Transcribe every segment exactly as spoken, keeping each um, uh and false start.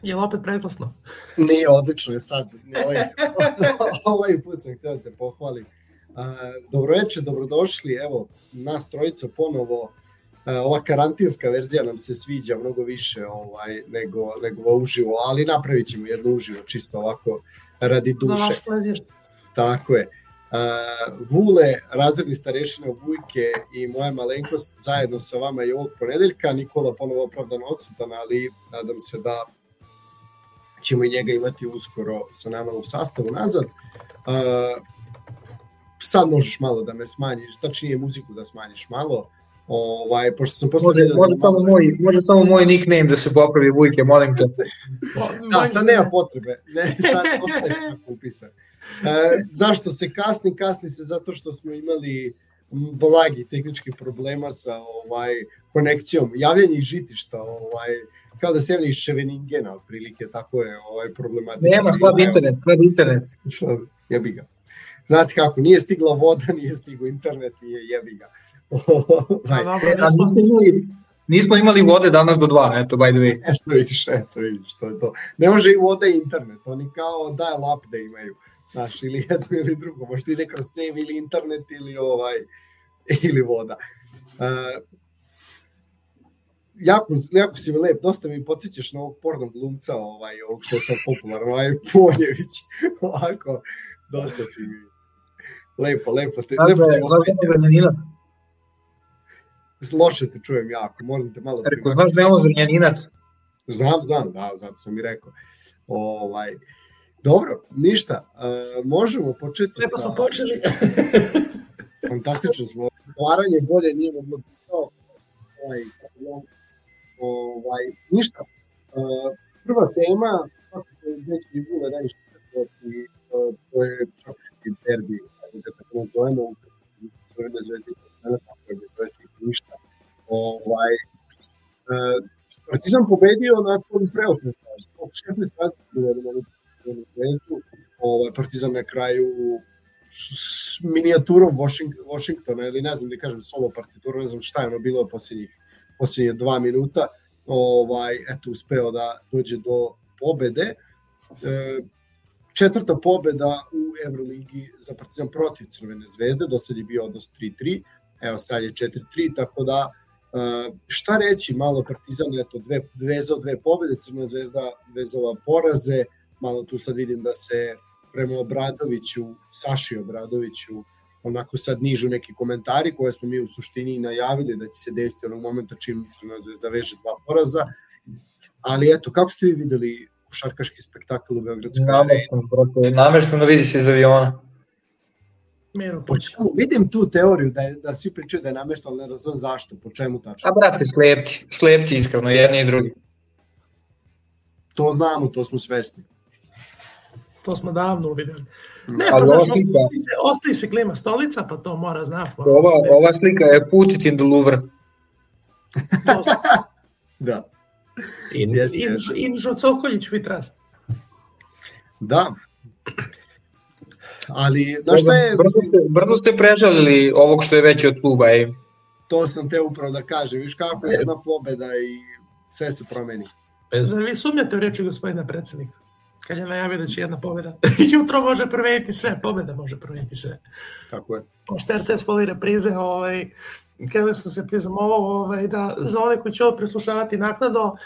Je li opet preglasno? Nije, odlično je sad. Ovaj, ovaj put sam htio da te pohvalim. Uh, dobro večer, dobrodošli. Evo, nas trojica ponovo. Uh, ova karantinska verzija nam se sviđa mnogo više ovaj, nego, nego uživo, ali napravit ćemo jedno uživo, čisto ovako radi duše. Da vaš plezir. Tako je. Uh, Vule, razredni starešina Vujke i moja malenkost zajedno sa vama i ovog ponedeljka. Nikola ponovo opravdano odsutan, ali nadam se da ćemo i njega imati uskoro sa nama u sastavu nazad. Uh, sad možeš malo da me smanjiš, tačnije muziku da smanjiš malo. Ovaj, pošto sam posle može, može, da samo moj, može samo moj nickname da se popravi, Vujke, molim te. Da, sad nema potrebe. Ne, sad ostaje tako upisan. E, zašto se kasni? Kasni se zato što smo imali blagi tehnički problema sa ovaj konekcijom, javljanje iz žitišta, ovaj, kao da se javlja iz Ševeningena, otprilike, tako je ovaj problematika. Nema, slab internet, slab internet. Jebi ga. Znate kako, nije stigla voda, nije stigao internet, nije jebi ga. Right. A, e, a nismo, imali, nismo imali vode danas do dva, eto, by the way. Eto vidiš, eto vidiš, to je to. Ne može i voda i internet, oni kao dial-up da imaju, znaš, ili jedno ili drugo, možda ide kroz cev ili internet ili, ovaj, ili voda. Uh, jako, jako si mi lep, dosta mi podsjećaš na ovog pornog glumca, ovaj, ovog što je sad popularan, ovaj Ponjević, ovako, dosta si mi lepo, lepo, te, lepo si osmetio. Loše te čujem jako, moram te malo... Rekao, znaš da je ovo Zrnjaninac? Znam, znam, da, zato sam i rekao. Ovaj, dobro, ništa, uh, možemo početi Lepo sa... Lepo smo počeli. Fantastično smo. Otvaranje bolje nije moglo to. Ovaj, ovaj, ništa. Uh, prva tema, kako je već i Vule najviše i uh, to je šaški derbi, da tako nazovemo, u Crvene zvezde i tako je bez zvezde i ništa. Ovaj, uh, Partizan pobedio nakon preokreta. šesnaest razlika na zvezdu. Ovaj, Partizan na kraju s minijaturom Washingtona, ili ne znam da kažem solo partiturom, ne znam šta je ono bilo posljednjih, posljednje dva minuta, ovaj, eto, uspeo da dođe do pobede. E, četvrta pobeda u Evroligi za Partizan protiv Crvene zvezde, do sad je bio odnos tri tri, evo sad je četiri tri, tako da e, šta reći, malo Partizan, eto, dve, vezao dve pobede, Crvena zvezda vezala poraze, malo tu sad vidim da se prema Obradoviću, Saši Obradoviću, onako sad nižu neki komentari koje smo mi u suštini najavili da će se desiti onog momenta čim Crvena zvezda veže dva poraza. Ali eto, kako ste vi videli košarkaški spektakl u Beogradskoj areni? Namešteno vidi se iz aviona. Miro, po čemu? Vidim tu teoriju da, je, da svi pričaju da je namešteno, ne znam zašto, po čemu tačno. A brate, slepci, slepci iskreno, jedni i drugi. To znamo, to smo svesni. To smo davno uvideli. Ne, pa znaš, ostaje se, ostaje se klima stolica, pa to mora, znaš. Mora ova, ova slika je put it in the Louvre. Da. In, yes, in, yes. Inžo Cokoljić, we trust. Da. Ali, znaš šta je... Brzo ste, brzo ste prežalili ovog što je veći od kluba. Ej. To sam te upravo da kažem. Viš kako je jedna pobeda i sve se promeni. Zar vi sumnjate u reči gospodina predsjednika? Kad je najavio da će jedna pobjeda. Jutro može promeniti sve, pobjeda može promeniti sve. Tako je. Pošto R T S poli reprize, ovaj, krenuli smo se prizamovao ovaj, da za one koji će ovo preslušavati naknadno,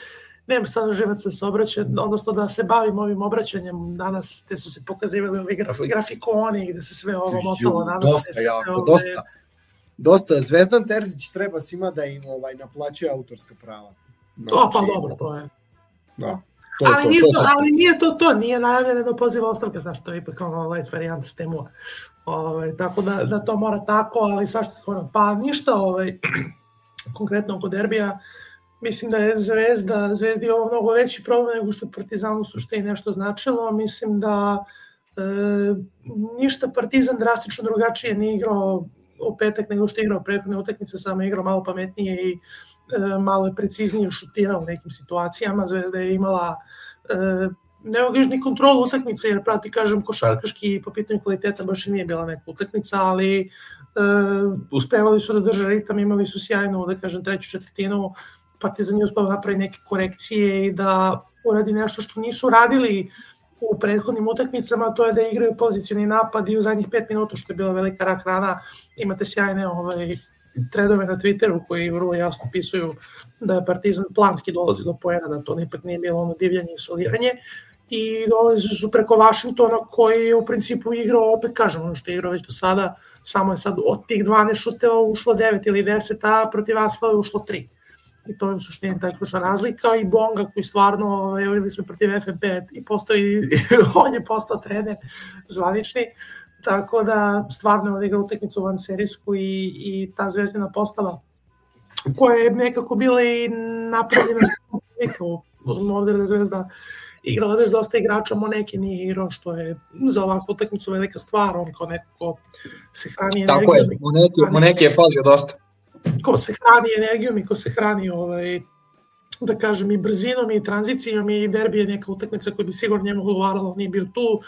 nema sad živaca da se obraća, odnosno da se bavim ovim obraćanjem danas, gde su se pokazivali ovi graf, grafikoni, gde se sve ovo motalo. Danas, dosta, jako, ove... dosta. Dosta. Zvezdan Terzić treba svima da im ovaj, naplaćuje autorska prava. Znači, to pa dobro, to je. Da. To, ali, to, nije to, to, ali nije to to, nije najavljeno da poziva ostavke, znaš, to je ipak ono light varijanta s temu. Ovaj, tako da, da to mora tako, ali svašta skoro. Pa ništa, ovaj, konkretno oko derbija, mislim da je Zvezda, Zvezdi ovo mnogo veći problem nego što Partizanu suštini nešto značilo. Mislim da e, ništa Partizan drastično drugačije nije igrao u petak nego što je igrao prethodne utakmice, samo je igrao malo pametnije i e, malo je preciznije šutirao u nekim situacijama. Zvezda je imala e, ne mogu ni kontrolu utakmice, jer prati, kažem, košarkaški po pitanju kvaliteta baš i nije bila neka utakmica, ali e, uspevali su da drže ritam, imali su sjajnu, da kažem, treću četvrtinu. Partizan je uspeo napravi neke korekcije i da uradi nešto što nisu radili u prethodnim utakmicama, to je da igraju pozicioni napad i u zadnjih pet minuta, što je bila velika rak rana. Imate sjajne ovaj, tredove na Twitteru koji vrlo jasno pisuju da je Partizan planski dolazi do poena, da to ipak nije bilo ono divljanje i soliranje. I dolazi su preko Vašingtona koji je u principu igrao, opet kažem, ono što je igrao već do sada, samo je sad od tih dvanaest šuteva ušlo devet ili deset, a protiv Asfala je ušlo tri. I to je u suštini taj ključna razlika. I Bonga koji stvarno, videli smo protiv F N P i postao i on je postao trener zvanični, tako da stvarno je odigrao utakmicu van serijsku i, i ta zvezdina postava koja je nekako bila i napravljena sa slika, uzmano obzir da Zvezda igrala bez dosta igrača, Moneke nije igrao, što je za ovakvu utakmicu velika stvar, on kao neko ko se hrani energijom. Tako je, Moneke, Moneke je falio dosta. Ko se hrani energijom i ko se hrani, ovaj, da kažem, i brzinom i tranzicijom, i derbi je neka utakmica koja bi sigurno njemu odgovarala, nije bio tu.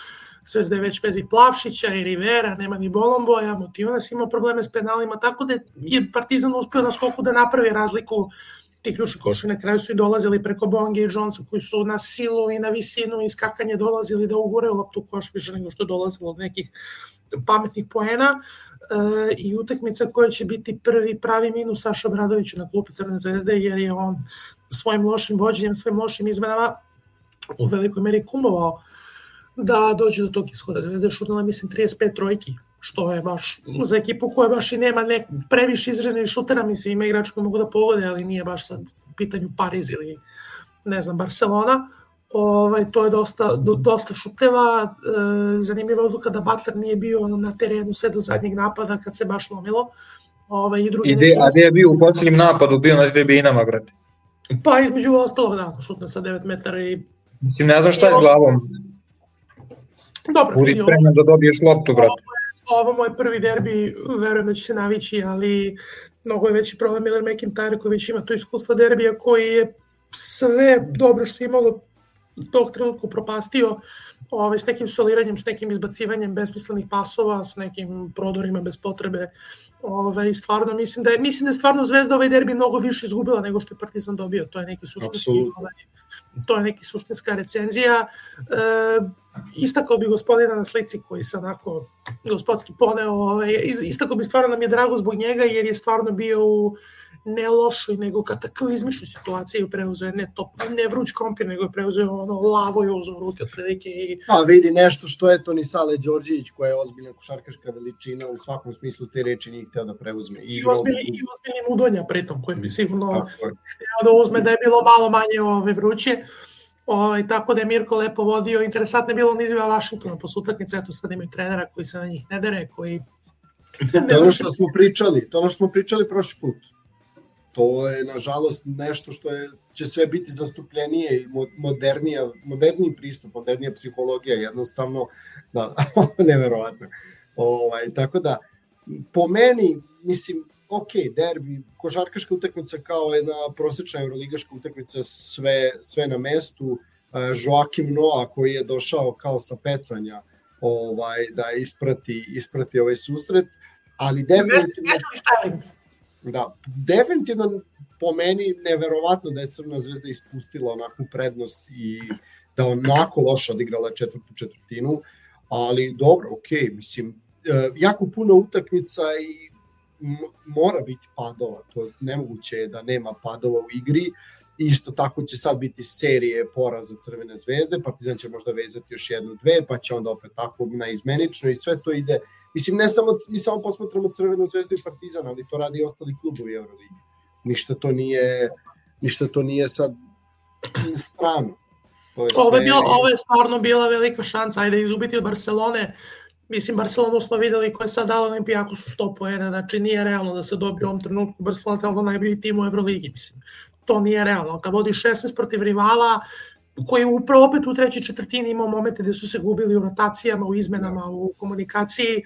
Zvezda je već bez i Plavšića i Rivera, nema ni Bolomboja, Motijunas imao probleme s penalima, tako da je Partizan uspio na skoku da napravi razliku. Ti ključni koševi na kraju su i dolazili preko Bonge i Jonesa koji su na silu i na visinu i skakanje dolazili da uguraju loptu u koš više nego što je dolazilo od nekih pametnih poena. E, i utakmica koja će biti prvi pravi minus Saša Obradoviću na klupi Crne Zvezde, jer je on svojim lošim vođenjem, svojim lošim izmenama u velikoj meri kumovao da dođe do tog ishoda. Zvezda je šutnula, mislim, trideset pet trojki, što je baš za ekipu koja baš i nema nek, previše izraženih šutera, mislim, ima igrača koji mogu da pogode, ali nije baš sad u pitanju Pariz ili, ne znam, Barcelona. Ovaj, to je dosta, do, dosta šuteva. E, zanimljiva odluka da Butler nije bio na terenu sve do zadnjeg napada kad se baš lomilo. Ovaj, i drugi I de, a gde je bio u posljednjem napadu, bio na tribinama, brate? Pa između ostalog, da, šutne sa devet metara i... Mislim, ne znam šta je s glavom. Dobro. Budi spreman da dobiješ loptu, brate. Ovo, ovo moj prvi derbi, verujem da će se navići, ali mnogo je veći problem Miller McIntyre koji već ima to iskustva derbija, koji je sve dobro što je imalo tog trenutku propastio, ovaj, s nekim soliranjem, s nekim izbacivanjem besmislenih pasova, s nekim prodorima bez potrebe. Ovaj, stvarno mislim da je, mislim da je stvarno Zvezda ovaj derbi mnogo više izgubila nego što je Partizan dobio. To je neki suštinski, ovaj, to je neki suštinska recenzija. E, istakao bi gospodina na slici koji se onako gospodski poneo, ovaj, istakao bi stvarno nam je drago zbog njega jer je stvarno bio u ne lošoj, nego kataklizmičnoj situaciji, preuzeo je ne, top, ne vruć krompir, nego je preuzeo ono lavo i uzeo ruke otprilike. I... Pa vidi nešto što je to ni Sale Đorđević koja je ozbiljna košarkaška veličina u svakom smislu te reči nije hteo da preuzme. I, I ozbiljni u... Mudonja pritom koji bi sigurno hteo da uzme da je bilo malo manje ove vruće. O, tako da je Mirko lepo vodio. Interesantno je bilo on izviva Vašingtona posle utakmice, eto sad imaju trenera koji se na njih ne dere, koji... To je ono što smo pričali, to ono što smo pričali prošli put. To je, nažalost, nešto što je, će sve biti zastupljenije i modernija, moderniji pristup, modernija psihologija, jednostavno, da, neverovatno. Ovaj, tako da, po meni, mislim, ok, derbi, košarkaška utakmica kao jedna prosečna euroligaška utakmica, sve, sve na mestu. Joakim Noah koji je došao kao sa pecanja ovaj, da isprati, isprati ovaj susret, ali definitivno... Da, definitivno po meni neverovatno da je Crna Zvezda ispustila onakvu prednost i da onako loše odigrala četvrtu četvrtinu, ali dobro, okej, okay, mislim, jako puno utakmica i mora biti padova, to nemoguće je da nema padova u igri, isto tako će sad biti serije poraza Crvene Zvezde, Partizan će možda vezati još jednu, dve, pa će onda opet tako na izmenično i sve to ide. Mislim, ne samo, mi samo posmatramo Crvenu Zvezdu i Partizan, ali to radi i ostali klubovi Euroligi. Ništa to nije, ništa to nije sad strano. To je sve... ovo, je bilo, ovo je stvarno bila velika šansa, ajde izubiti od Barcelone. Mislim, Barcelonu smo videli koja je sad dala Olimpijaku su sto poena, znači nije realno da se dobije u ovom trenutku Barcelona trebalo najbolji tim u Euroligi, mislim. To nije realno. Kad vodi šesnaest protiv rivala, koji upravo opet u trećoj četvrtini imao momente gde su se gubili u rotacijama, u izmenama, u komunikaciji,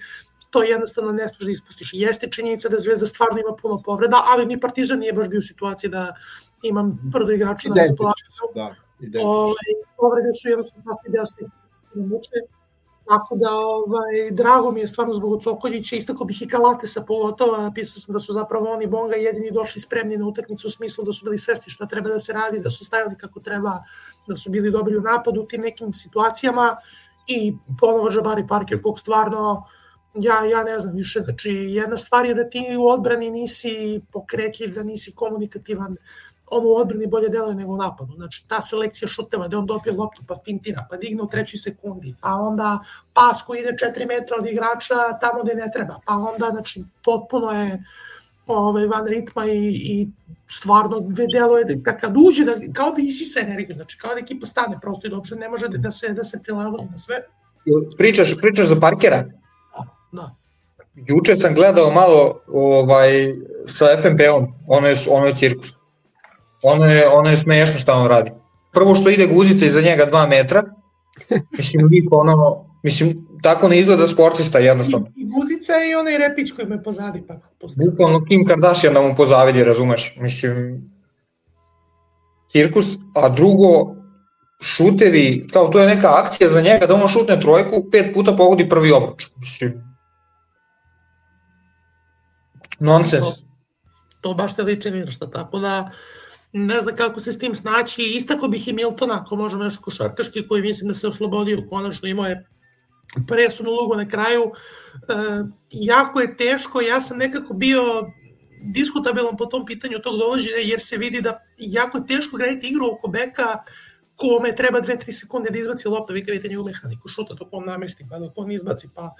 to jednostavno ne smiješ da ispustiš. Jeste činjenica da Zvezda stvarno ima puno povreda, ali ni Partizan nije baš bio u situaciji da imam prvo igrača na raspolaganju. Da, Ove, povrede su jednostavno sasvim deo sve muče, Tako da, ovaj, drago mi je stvarno zbog Cokoljića, istako bih i Kalatesa pogotovo, napisao sam da su zapravo oni Bonga jedini došli spremni na utakmicu u smislu da su bili svesni šta treba da se radi, da su stajali kako treba, da su bili dobri u napadu u tim nekim situacijama i ponovo Jabari Parker, kog stvarno, ja, ja ne znam više, znači jedna stvar je da ti u odbrani nisi pokretljiv, da nisi komunikativan, on u odbrani bolje deluje nego u napadu. Znači, ta selekcija šuteva, da on dopije loptu, pa fintira, pa digne u trećoj sekundi, pa onda pas koji ide četiri metra od igrača tamo gde ne treba, pa onda, znači, potpuno je ovaj, van ritma i, i stvarno deluje da kad uđe, da, kao da isisa energiju, znači, kao da ekipa stane prosto i da uopšte ne može da se, da se prilagodi na sve. Pričaš, pričaš za Parkera? Da, da. Juče sam gledao malo ovaj, sa F N P-om, ono je, ono je cirkus. Ono je, ono je smiješno šta on radi. Prvo što ide guzica iza njega dva metra, mislim, liko ono, mislim, tako ne izgleda sportista jednostavno. I, i guzica i onaj repić koji me pozadi. Pa bukvalno Kim Kardashian da mu pozavidi, razumeš, mislim, cirkus, a drugo, šutevi, kao to je neka akcija za njega da on šutne trojku, pet puta pogodi prvi obruč, mislim, nonsens. To, to baš te liči ništa, tako da ne znam kako se s tim snaći, istako bih i Miltona, ako možemo još košarkaški, koji mislim da se oslobodio, konačno imao je presudnu ulogu na kraju. E, jako je teško, ja sam nekako bio diskutabilan po tom pitanju tog dovođenja, jer se vidi da jako je teško graditi igru oko beka kome treba dve do tri sekunde da izbaci loptu, vi kad vidite njegovu mehaniku šuta, dok on namesti, pa dok on izbaci, pa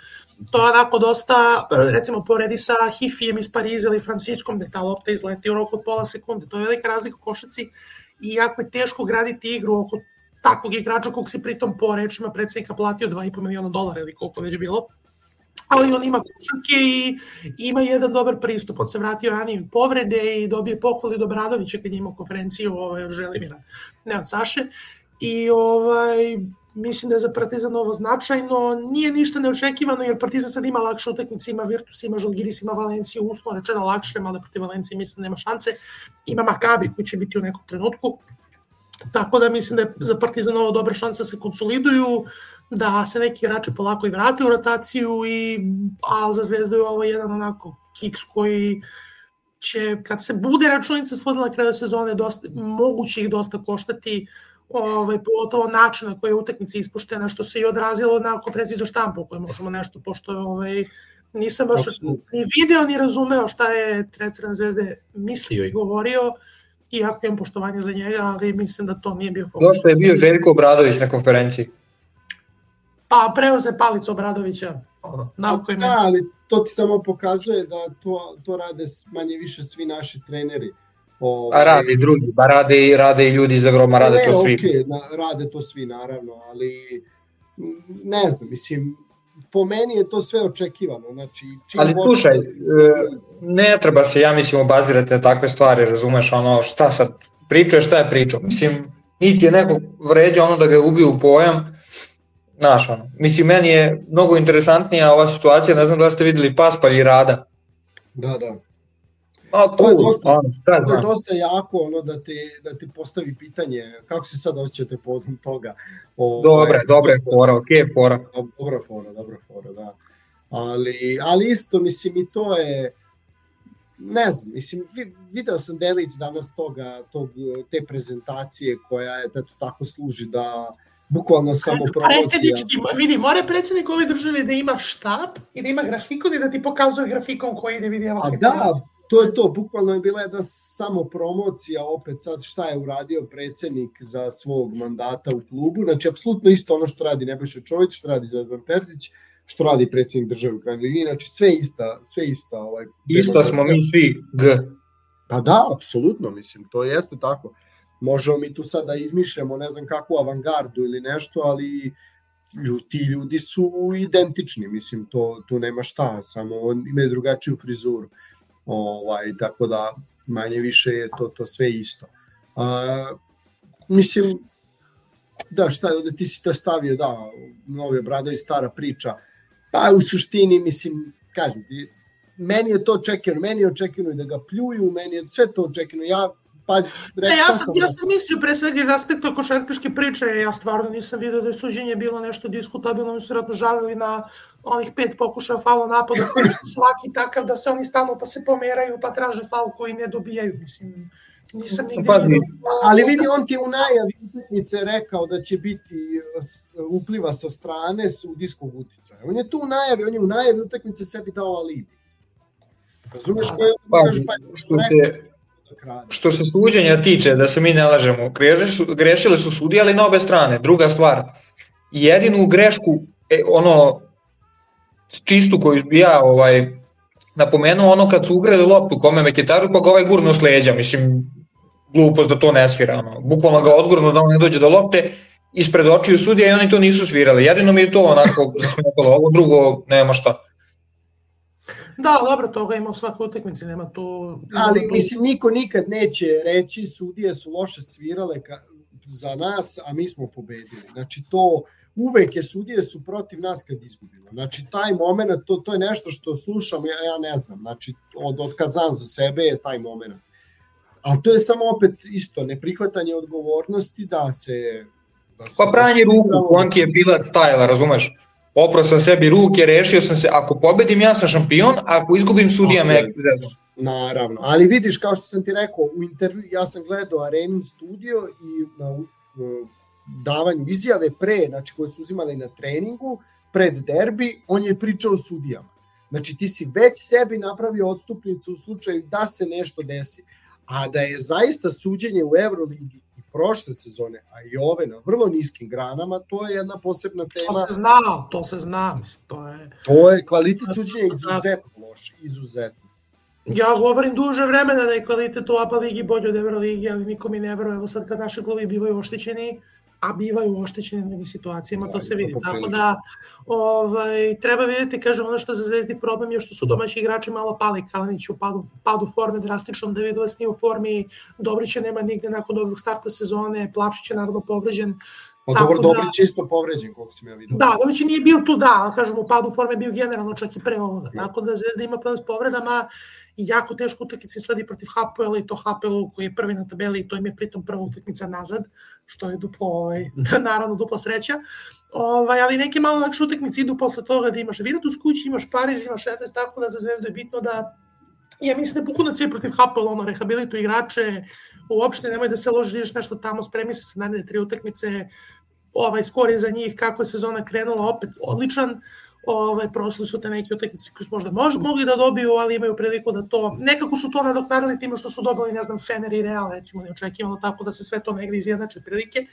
to je onako dosta, recimo poredi sa Hifijem iz Pariza ili Franciskom, gde ta lopta izleti u roku od pola sekunde, to je velika razlika u košarci i jako je teško graditi igru oko takvog igrača kog si pritom po rečima predsjednika platio dva i po miliona dolara ili koliko već bilo, ali on ima košarke i ima jedan dobar pristup, on se vratio ranije od povrede i dobije pohvali od Obradovića kad je imao konferenciju ovaj, od Želimira, ne od Saše, i ovaj, mislim da je za Partizan ovo značajno, nije ništa neočekivano jer Partizan sad ima lakše utakmice, ima Virtus, ima Žalgiris, ima Valenciju, uslovno rečeno lakše, mada protiv Valencije mislim da nema šanse, ima Makabi koji će biti u nekom trenutku, tako da mislim da je za Partizan ovo dobra šansa da se konsoliduju, da se neki igrači polako i vrate u rotaciju, i, a za Zvezdu je ovo jedan onako kiks koji će, kad se bude računica svodila na kraju sezone, dosta, moguće ih dosta koštati, ovaj, pogotovo način na koji je utakmica ispuštena, što se i odrazilo na konferenciji za štampu, koje možemo nešto, pošto ovaj, nisam baš ni video ni razumeo šta je trener Zvezde mislio i govorio, iako imam poštovanje za njega, ali mislim da to nije bio fokus. Dosta je bio Željko Obradović na konferenciji. Pa preoze palicu Obradovića. Ono, nauko da, ali to ti samo pokazuje da to, to rade manje više svi naši treneri. Ovaj, a rade i drugi, ba rade, rade i ljudi iz Agroma, rade ne, to svi. Okay, na, rade to svi, naravno, ali ne znam, mislim, po meni je to sve očekivano. Znači, ali slušaj, da se... ne treba se, ja mislim, obazirati na takve stvari, razumeš, ono, šta sad pričao, šta je pričao. Mislim, niti je neko vređa ono da ga je ubio u pojam, znaš, ono. Mislim, meni je mnogo interesantnija ova situacija, ne znam da ste videli Paspalj i Rada. Da, da. A, cool. To je dosta, ono, to je dosta jako ono da ti, da ti postavi pitanje kako se sad osjećate povodom toga. O, dobre, dobre dosta, fora, ok, fora. Dobra fora, dobra fora, da. Ali, ali isto, mislim, i to je, ne znam, mislim, video sam delić danas toga, tog, te prezentacije koja je da to tako služi da bukvalno samo promocija. Vidi, mora predsjednik ove države da ima štab i da ima grafikon i da ti pokazuje grafikon koji ide vidi. A da, to je to, bukvalno je bila jedna samo promocija opet sad šta je uradio predsjednik za svog mandata u klubu, znači apsolutno isto ono što radi Nebojša Čović, što radi Zvezdan Terzić, što radi predsjednik države u krajnjoj liniji, znači sve ista, sve ista. Ovaj, isto smo mi svi G. Pa da, apsolutno, mislim, to jeste tako. Možemo mi tu sad da izmišljamo ne znam kakvu avangardu ili nešto, ali ti ljudi su identični, mislim, to, tu nema šta, samo imaju drugačiju frizuru. Ovaj, tako da manje više je to, to sve isto. A, mislim, da, šta da ti si to stavio, da, Novi Obradović, stara priča, pa u suštini, mislim, kažem ti, meni je to očekivano, meni je očekivano da ga pljuju, meni je sve to očekivano, ja pazi, rekao ja sam, ja sam mislio pre svega iz aspekta košarkaške priče, ja stvarno nisam vidio da je suđenje bilo nešto diskutabilno, oni su vjerojatno žalili na onih pet pokušaja faula napada, svaki takav da se oni stanu pa se pomeraju pa traže faul koji ne dobijaju, mislim, nisam nigde vidio. Ali vidi, on ti u najavi utakmice rekao da će biti upliva sa strane sudijskog uticaja. On je tu u najavi, on je u najavi utakmice sebi dao alibi. Razumeš koje je pa, što, se, što se suđenja tiče, da se mi ne lažemo, grešile su sudije, ali na obe strane. Druga stvar, jedinu grešku, ono, čistu koju bi ja ovaj, napomenuo, ono kad su ugreli loptu kome Mekitaru, pa ga ovaj gurno s leđa, mislim, glupost da to ne svira, ono. Bukvalno ga odgurno da on ne dođe do lopte, ispred očiju sudija i oni to nisu svirali. Jedino mi je to onako zasmetalo, ovo drugo nema šta. Da, dobro, toga ima u svakoj utakmici, nema tu... Ali, mislim, niko nikad neće reći sudije su loše svirale ka, za nas, a mi smo pobedili. Znači, to uvek je sudije su protiv nas kad izgubimo. Znači, taj moment, to, to je nešto što slušam, ja, ja ne znam, znači, od, od kad znam za sebe je taj moment. Ali to je samo opet isto, neprihvatanje odgovornosti da se... Da se pa pranje ruku, Konki je bila tajla, razumeš? Oprao sam sebi ruke, rešio sam se, ako pobedim ja sam šampion, a ako izgubim sudija me ekvizetno. Naravno, ali vidiš, kao što sam ti rekao, u intervju, ja sam gledao Arenin studio i na uh, davanju izjave pre, znači koje su uzimali na treningu, pred derbi, on je pričao o sudijama. Znači ti si već sebi napravio odstupnicu u slučaju da se nešto desi. A da je zaista suđenje u Euroligi i prošle sezone, a i ove na vrlo niskim granama, to je jedna posebna tema. To se zna, to se zna, mislim, to je... To je kvalitet suđenja izuzetno loš, izuzetno. Ja govorim duže vremena da je kvalitet u A P A ligi bolji od Euroligi, ali niko mi ne veruje. Evo sad kad naši klubi bivaju oštećeni, a bivaju oštećeni u nekim situacijama, to se vidi. Tako da ovaj, treba vidjeti, kažem, ono što za Zvezdi problem je što su domaći igrači malo pali. Kalinić u padu, padu forme drastičnom, Davidovac nije u formi, Dobrića nema nigde nakon dobrog starta sezone, Plavšić je naravno povređen. Pa dobro, Dobrić je isto povređen, koliko sam ja vidio. Da, Dobrić nije bio tu, da, ali kažem, u padu forme bio generalno čak i pre ovoga. Tako da Zvezda ima problem s povredama i jako teško utakmice sledi protiv Hapoela i to Hapoelu koji je prvi na tabeli i to im je pritom prva utakmica nazad, što je duplo, ovaj, naravno dupla sreća. Ovaj, ali neke malo lakše utakmice idu posle toga da imaš Virtus kući, imaš Pariz, imaš Efes, tako da za Zvezdu je bitno da, ja mislim da pokudno cijeli protiv Hapoela, ono, rehabilitu igrače, uopšte nemoj da se ložiš nešto tamo, spremi se sa naredne tri utakmice, ovaj skor je za njih, kako je sezona krenula, opet odličan. Ovaj, prošli su te neke utakmice koji su možda mož, mogli da dobiju, ali imaju priliku da to, nekako su to nadoknadili time što su dobili, ne znam, Fener i Real, recimo, neočekivano, tako da se sve to negdje izjednače prilike.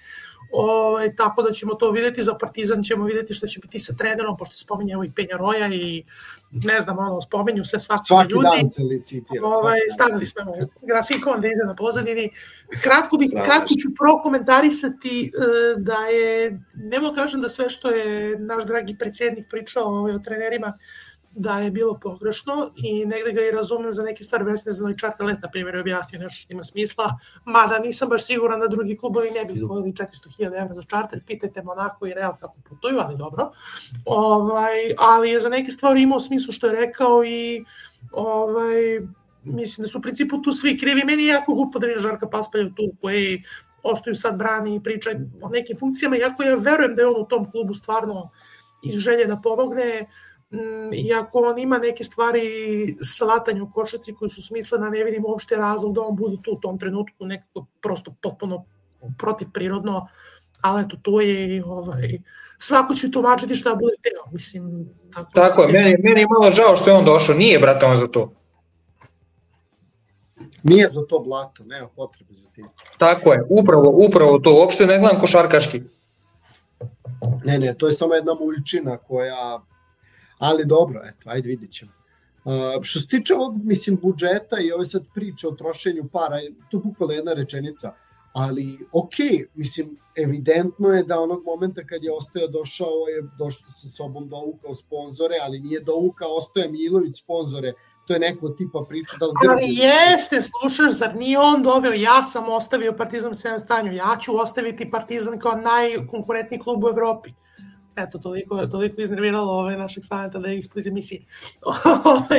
Ovaj, tako da ćemo to vidjeti, za Partizan ćemo vidjeti šta će biti sa trenerom, pošto spominje evo i Penjaroja i ne znam, ono, spominju se svaki, svaki ljudi. Svaki dan se licitira. Ovaj, stavili smo grafikon da ide na pozadini. Kratko, bih, kratko ću prokomentarisati da je, nemo kažem da sve što je naš dragi predsjednik pričao ovaj, o trenerima, da je bilo pogrešno i negde ga i razumem za neke stvari, vesne za ovaj čarter let, na primjer, je objasnio nešto što ima smisla, mada nisam baš siguran da drugi klubovi ne bi izvojili četiristo hiljada evra za čarter, pitajte Monako i Real kako putuju, ali dobro. Ovaj, ali je za neke stvari imao smislu što je rekao i ovaj, mislim da su u principu tu svi krivi. Meni je jako glupo da vidim Žarka Paspalja tu koji ostaju sad brani i pričaju o nekim funkcijama, iako ja verujem da je on u tom klubu stvarno iz želje da pomogne, iako on ima neke stvari shvatanja u košarci koji su smislene, ne vidim uopšte razlog da on bude tu u tom trenutku, nekako prosto potpuno protivprirodno, ali eto, to je ovaj, svako će tumačiti šta bude teo, mislim. Tako, tako je, meni, meni je malo žao što je on došao, nije brate on za to. Nije za to blato, nema potrebe za tim. Tako je, upravo, upravo to, uopšte ne gledam košarkaški. Ne, ne, to je samo jedna muljčina koja... Ali dobro, eto, ajde vidit ćemo. Uh, što se tiče ovog, mislim, budžeta i ove sad priče o trošenju para, tu bukvalno jedna rečenica, ali okej, okay, mislim, evidentno je da onog momenta kad je Ostoja došao, je došao sa sobom dovukao sponzore, ali nije dovukao Ostoja Milović sponzore, to je neko tipa priča. Da ali grbi. Jeste, slušaš, zar nije on doveo, ja sam ostavio Partizan u sedmom stanju, ja ću ostaviti Partizan kao najkonkurentniji klub u Evropi. Eto, toliko, toliko iznerviralo ove našeg staneta da je ispod iz emisije.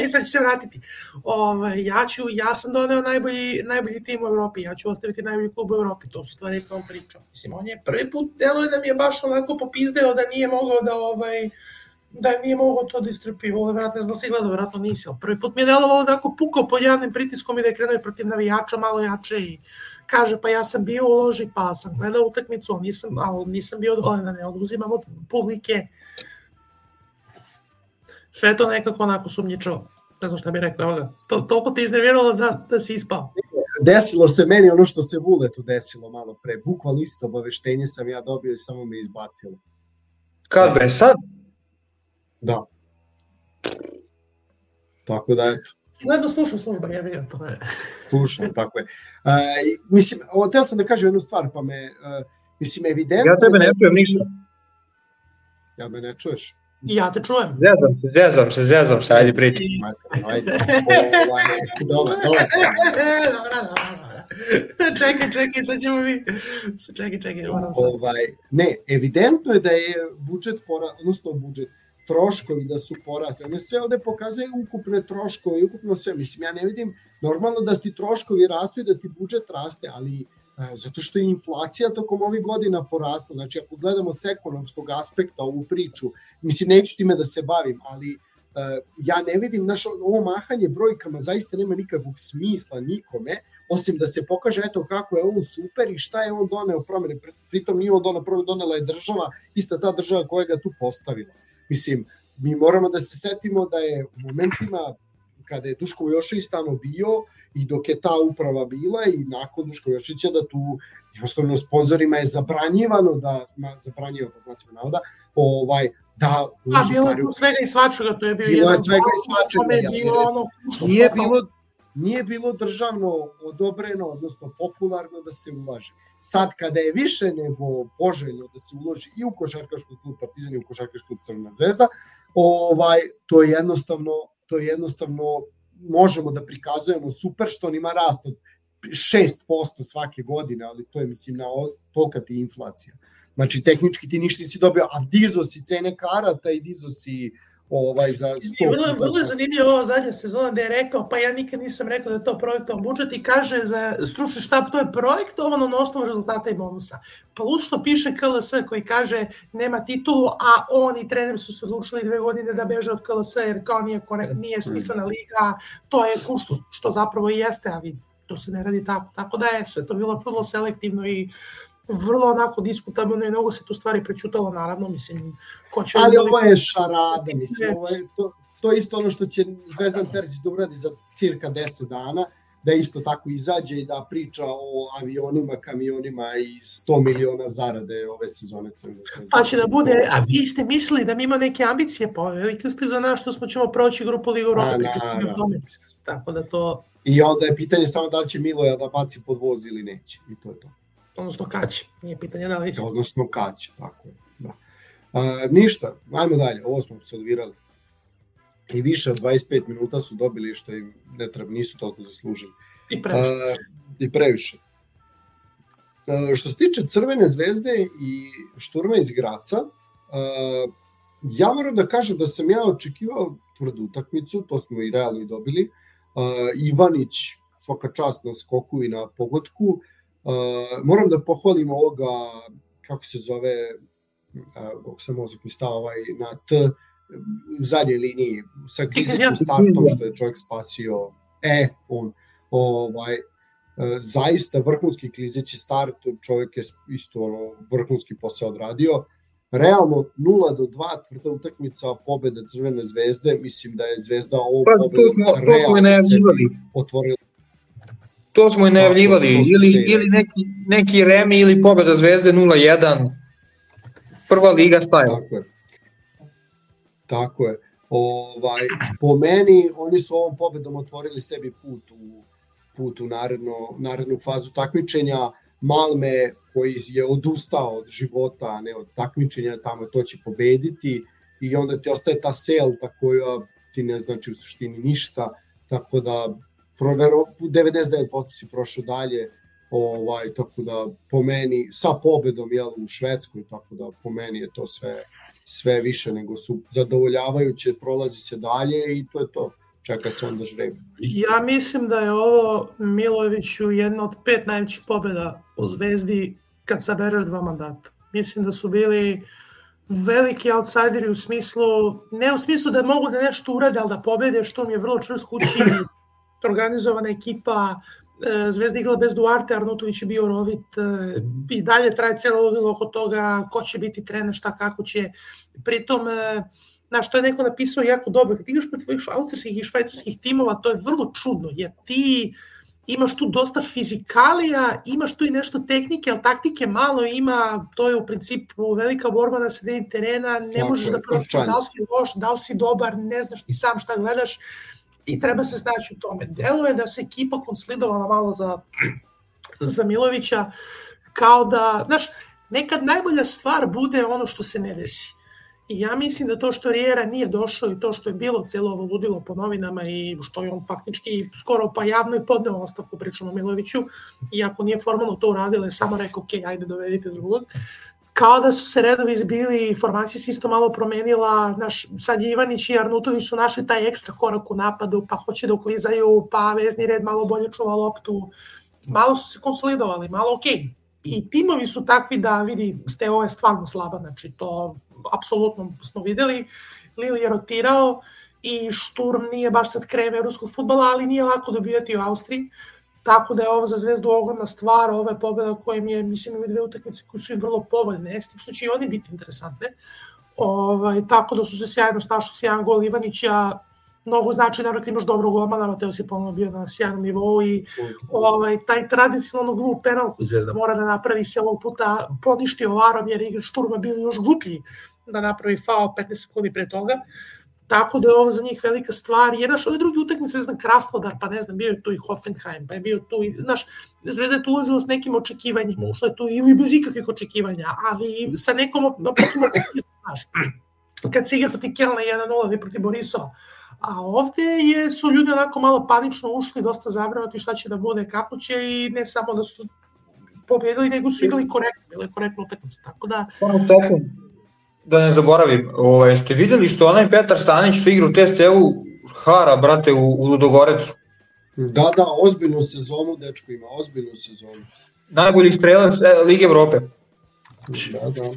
I sad ću se vratiti. Ove, ja, ću, ja sam doneo najbolji, najbolji tim u Evropi, ja ću ostaviti najbolji klub u Evropi, to su stvari kao pričao. Mislim, on je prvi put deluje da mi je baš onako popizdeo da nije mogao da ovaj, da nije mogao to da istrpi, vole, vratno, ne znam da si gledao, vratno nisi, ali prvi put mi je delovalo da ako pukao pod javnim pritiskom i da je krenuo protiv navijača malo jače i kaže, pa ja sam bio u loži, pa sam gledao utakmicu, ali nisam, ali nisam bio dole, da ne oduzimam od publike. Sve to nekako onako sumnjičavo. Ne znam šta bih rekao, evo ga. To, toliko te iznerviralo da, da si ispao. Desilo se meni ono što se Vuletu desilo malo pre. Bukvalno isto obaveštenje sam ja dobio i samo me izbatilo. Kad bre, sad? Da. Tako da, eto. Gledao slušao služba, ja vidim, to je. Slušao, tako je. Uh, mislim, teo sam da kažem jednu stvar, pa me, uh, mislim, evidentno... Ja tebe ne čujem ništa. Ja me ne čuješ? Ja te čujem. Zezam se, zezam se, zezam se, ajde priči. Ajde, dobro, dobro. Dobra, dobra, dobra. Čekaj, čekaj, sad ćemo mi... Čekaj, čekaj, moram sad. Ovaj, ne, evidentno je da je budžet, pora, odnosno budžet, troškovi da su porasli. One sve ovde pokazuje ukupne troškove i ukupno sve. Mislim, ja ne vidim normalno da ti troškovi rastu i da ti budžet raste, ali a, zato što je inflacija tokom ovih godina porasla. Znači, ako gledamo s ekonomskog aspekta ovu priču, mislim, neću time da se bavim, ali a, ja ne vidim, naš, ovo mahanje brojkama zaista nema nikakvog smisla nikome, osim da se pokaže eto kako je on super i šta je on doneo promene. Pritom nije on doneo promene, donela je država, ista ta država koja ga tu postavila. Mislim, mi moramo da se setimo da je u momentima kada je Duško Vujošević tamo bio i dok je ta uprava bila i nakon Duško Vujoševića da tu jednostavno sponzorima je zabranjivano da, na, zabranjivano po znacima navoda, ovaj, da... A bilo je tu svega i svačega, to je bio bilo jedan... svega i svačega, bilo ono, nije, bilo, nije bilo državno odobreno, odnosno popularno da se ulaže. Sad kada je više nego poželjno da se uloži i u košarkaški klub Partizan i u košarkaški klub Crvena zvezda, ovaj, to je jednostavno, to je jednostavno možemo da prikazujemo super što on ima rast od šest posto svake godine, ali to je mislim na tolika ti inflacija. Znači tehnički ti ništa nisi dobio, a dizo si cene karata i dizo si ovaj, za sto. Bilo je zanimljivo ova zadnja sezona da je rekao, pa ja nikad nisam rekao da je to projektovan budžet i kaže za stručni štab to je projektovano na osnovu rezultata i bonusa. Plus što piše K L S koji kaže nema titulu, a on i trener su se odlučili dve godine da beže od K L S jer kao nije, nije smislena liga, to je kuštus, što zapravo i jeste, ali to se ne radi tako. Tako da je sve to bilo vrlo selektivno i vrlo onako diskutabilno i mnogo se tu stvari prećutalo, naravno, mislim, ko će... Ali ovo je šarada, mislim, ovo je, to, to je isto ono što će Zvezdan Terzić da uradi za cirka deset dana, da isto tako izađe i da priča o avionima, kamionima i sto miliona zarade ove sezone Crvene zvezde. Pa će da bude, a vi ste mislili da mi ima neke ambicije, pa veliki uspjeh za nas što smo ćemo proći grupu Ligu Europa, tako da to... I onda je pitanje samo da li će Miloja da baci pod voz ili neće, i to je to. Odnosno kać, nije pitanje da li će. Odnosno kać, tako je. Da. A, ništa, ajmo dalje, ovo smo se odvirali. I više od dvadeset pet minuta su dobili što im ne treba, nisu toliko zaslužili. I previše. A, I previše. A, što se tiče Crvene zvezde i Šturma iz Graca, a, ja moram da kažem da sam ja očekivao tvrdu utakmicu, to smo i realno i dobili. A, Ivanić, svaka čast na skoku i na pogodku. Uh, moram da pohvalim ovoga, kako se zove, kako se mozak mi stao ovaj, na T, u zadnjoj liniji, sa klizićim startom što je čovjek spasio, e, on, ovaj, uh, zaista vrhunski klizići start, čovjek je isto ono, vrhunski posao odradio, realno nula do dva tvrda utakmica pobjede Crvene zvezde, mislim da je Zvezda ovo pa, pobjedu realno otvorila. To smo i najavljivali, ili, ili neki, neki remi ili pobjeda Zvezde nula jedan, prva liga staje. Tako je. Tako je. Ovaj, po meni, oni su ovom pobjedom otvorili sebi put u, put u naredno, narednu fazu takmičenja. Malme, koji je odustao od života, a ne od takmičenja, tamo to će pobediti i onda ti ostaje ta selta koja ti ne znači u suštini ništa, tako da devedeset devet posto si prošao dalje, ovaj, tako da po meni, sa pobedom jel, u Švedskoj, tako da po meni je to sve, sve više nego su zadovoljavajuće, prolazi se dalje i to je to. Čeka se onda žrebi. Ja mislim da je ovo Milojeviću jedna od pet najvećih pobjeda u Zvezdi kad sabereš dva mandata. Mislim da su bili veliki outsideri u smislu, ne u smislu da mogu da nešto urade, ali da pobede, što mi je vrlo čvrst kući, organizovana ekipa, Zvezda igrala bez Duarte, Arnautović je bio rovit, i dalje traje cijelo ludilo oko toga ko će biti trener, šta, kako će. Pritom, znaš, to je neko napisao jako dobro, kad igraš protiv tvojih austrijskih i švajcarskih timova, to je vrlo čudno, jer ti imaš tu dosta fizikalija, imaš tu i nešto tehnike, ali taktike malo ima, to je u principu velika borba na sredini terena, ne Tako možeš je, da prosto da li si loš, da li si dobar, ne znaš ti sam šta gledaš i treba se snaći u tome. Deluje da se ekipa konsolidovala malo za, za Milojevića, kao da, znaš, nekad najbolja stvar bude ono što se ne desi. I ja mislim da to što Riera nije došao i to što je bilo cijelo ovo ludilo po novinama i što je on faktički skoro pa javno i podneo ostavku, pričamo o Milojeviću, iako nije formalno to uradilo, je samo rekao, ok, ajde dovedite drugog. Kao da su se redovi izbili, formacija se isto malo promenila, naš, sad Ivanić i Arnautović su našli taj ekstra korak u napadu, pa hoće da uklizaju, pa vezni red malo bolje čuva loptu, malo su se konsolidovali, malo ok. I timovi su takvi da vidi, Steaua je stvarno slaba, znači to apsolutno smo videli, Lille je rotirao i Šturm nije baš sad krem evropskog fudbala, ali nije lako dobijati u Austriji, tako da je ovo za Zvezdu ogromna stvar, ova je pobjeda kojim je, mislim, imaju dve utakmice koje su im vrlo povoljne, s tim što će i oni biti interesantne, ovaj, tako da su se sjajno snašli s jedan gol Ivanića, mnogo znači, naravno kad imaš dobrog golmana, Mateo si ponovno bio na sjajnom nivou i ovaj, taj tradicionalno glup penal koji Zvezda mora da napravi se ovog puta poništio varom jer igra Šturma bili još gluplji da napravi faul petnaest sekundi pre toga. Tako da je ovo za njih velika stvar. Jer, znaš, ove druge utakmice, ne znam, Krasnodar, pa ne znam, bio je tu i Hoffenheim, pa je bio tu i, znaš, Zvezda je tu ulazila s nekim očekivanjima, ušla je tu ili bez ikakvih očekivanja, ali sa nekom, znaš, kad se igra protiv Kelna jedan nula ili protiv Borisova. A ovde je, su ljudi onako malo panično ušli, dosta zabrinuti šta će da bude, kako će i ne samo da su pobjedili, nego su igrali korektno, bilo je korektno utakmice, tako da... Da ne zaboravim, ovaj, ste videli što onaj Petar Stanić što igra u T S C-u hara, brate, u, u Ludogorecu? Da, da, ozbiljnu sezonu, dečko ima, ozbiljnu sezonu. Najbolji strelac Lige Evrope. Da, da.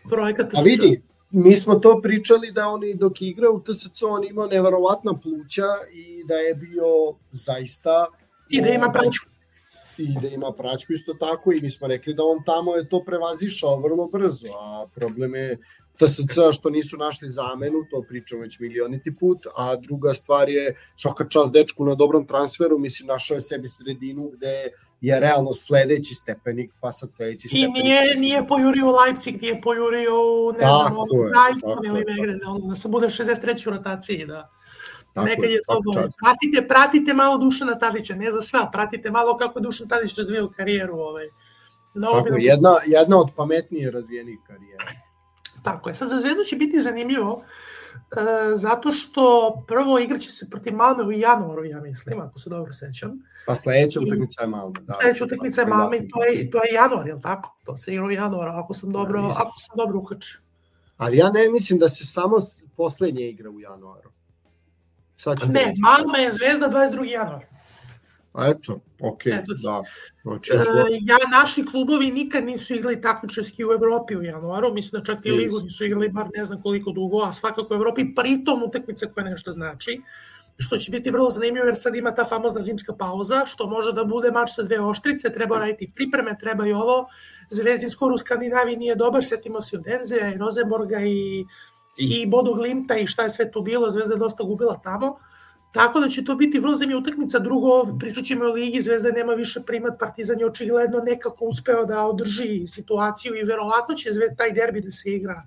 Projekat A vidi, mi smo to pričali da oni dok igra u T S C on imao neverovatna pluća i da je bio zaista... I da ima praćku. I da ima praćku isto tako i mi smo rekli da on tamo je to prevazišao vrlo brzo, a problem je T S C što nisu našli zamenu, to pričamo već milioniti put, a druga stvar je svaka čast dečku na dobrom transferu, mislim našao je sebi sredinu gde je realno sledeći stepenik, pa sad sledeći stepenik. I nije, nije pojurio u Leipzig, nije pojurio u, ne znam, Brighton ili negre, da, ono, da se bude šezdeset treći u rotaciji, da. Tako nekad je to bolje. Pratite, pratite malo Dušana Tadića, ne za sve, pratite malo kako je Dušan Tadić razvijao karijeru. Ovaj. Tako, bi... jedna, jedna od pametnije razvijenih karijera. Tako je. Sad za Zvezdu će biti zanimljivo, e, zato što prvo igraće se protiv Malme u januaru, ja mislim, ako se dobro sećam. Pa sledeća utakmica je Malme. Da, sledeća utakmica je Malme i to je, to je januar, je li tako? To se igra u januaru, ako sam dobro, ja, ako sam dobro ukačio. Ali ja ne mislim da se samo poslednje igra u januaru. Ne, Malma je Zvezda dvadeset drugi januar. Eto, okej, okay, da. Znači, e, ja, naši klubovi nikad nisu igrali takmičarski u Evropi u januaru, mislim da čak i ligu nisu igrali bar ne znam koliko dugo, a svakako u Evropi, pritom utakmica koja nešto znači, što će biti vrlo zanimljivo jer sad ima ta famozna zimska pauza, što može da bude mač sa dve oštrice, treba raditi pripreme, treba i ovo, Zvezdin skoro u Skandinaviji nije dobar, setimo se od Enzeja i Rosenborga i i Bodo Glimta i šta je sve tu bilo, Zvezda je dosta gubila tamo, tako da će to biti vrlo zanimljiva utakmica. Drugo, pričat ćemo o ligi, Zvezda nema više primat, Partizan je očigledno nekako uspeo da održi situaciju i verovatno će Zvezda taj derbi da se igra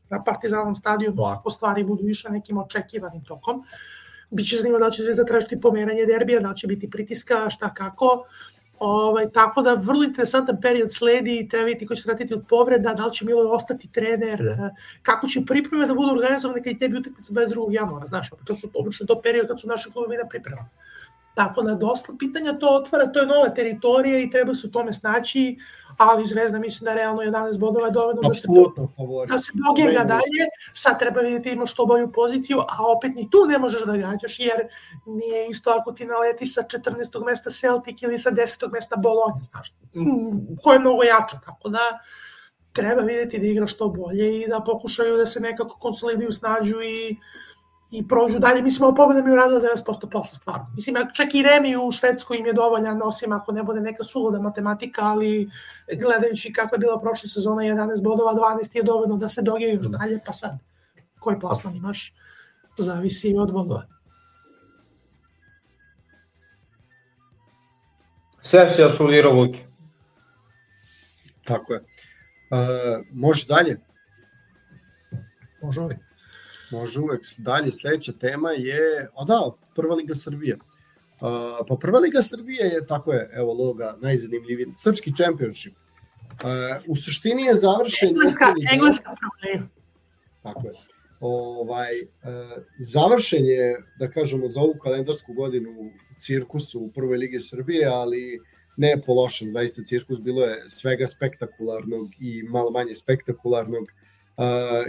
na Partizanovom stadionu, ako stvari budu više nekim očekivanim tokom. Biće zanimljivo da će Zvezda tražiti pomeranje derbija, da će biti pritiska, šta kako. Ovaj, tako da vrlo interesantan period sledi, treba vidjeti ko će se vratiti od povreda, da li će Milo ostati trener, kako će pripreme da budu organizovane kad i tebi utakmica dvadeset drugog januara, znaš, obično su obično to period kad su naši klubovi na priprema. Tako da dosta pitanja to otvara, to je nova teritorija i treba se u tome snaći, ali Zvezda mislim da realno jedanaest bodova je dovoljno da se, da se dogega dalje, sad treba vidjeti imaš što bolju poziciju, a opet ni tu ne možeš da gađaš, jer nije isto ako ti naleti sa četrnaestog mesta Celtic ili sa desetog mesta Bologna, znaš, ko je mnogo jača, tako da treba vidjeti da igra što bolje i da pokušaju da se nekako konsoliduju, snađu i i prođu dalje. Mislim, ovo pobjeda mi uradila devedeset posto posla, stvarno. Mislim, čak i Remi u Švedskoj im je dovoljan, osim ako ne bude neka suluda matematika, ali gledajući kako je bila prošla sezona, jedanaest bodova, dvanaest je dovoljno da se dogiješ dalje, pa sad, koji plasman imaš, zavisi i od bodova. Sve si asulirao, Luki. Tako je. Uh, može dalje? Može uvijek. Može uvek. Dalje, sledeća tema je, a da, Prva liga Srbije. Uh, pa Prva liga Srbije je, tako je, evo loga, najzanimljiviji, srpski championship. Uh, u suštini je završen... Engleska, engleska problema. Tako je. Ovaj, uh, završen je, da kažemo, za ovu kalendarsku godinu u cirkusu u Prvoj ligi Srbije, ali ne po lošem, zaista cirkus bilo je svega spektakularnog i malo manje spektakularnog. Uh,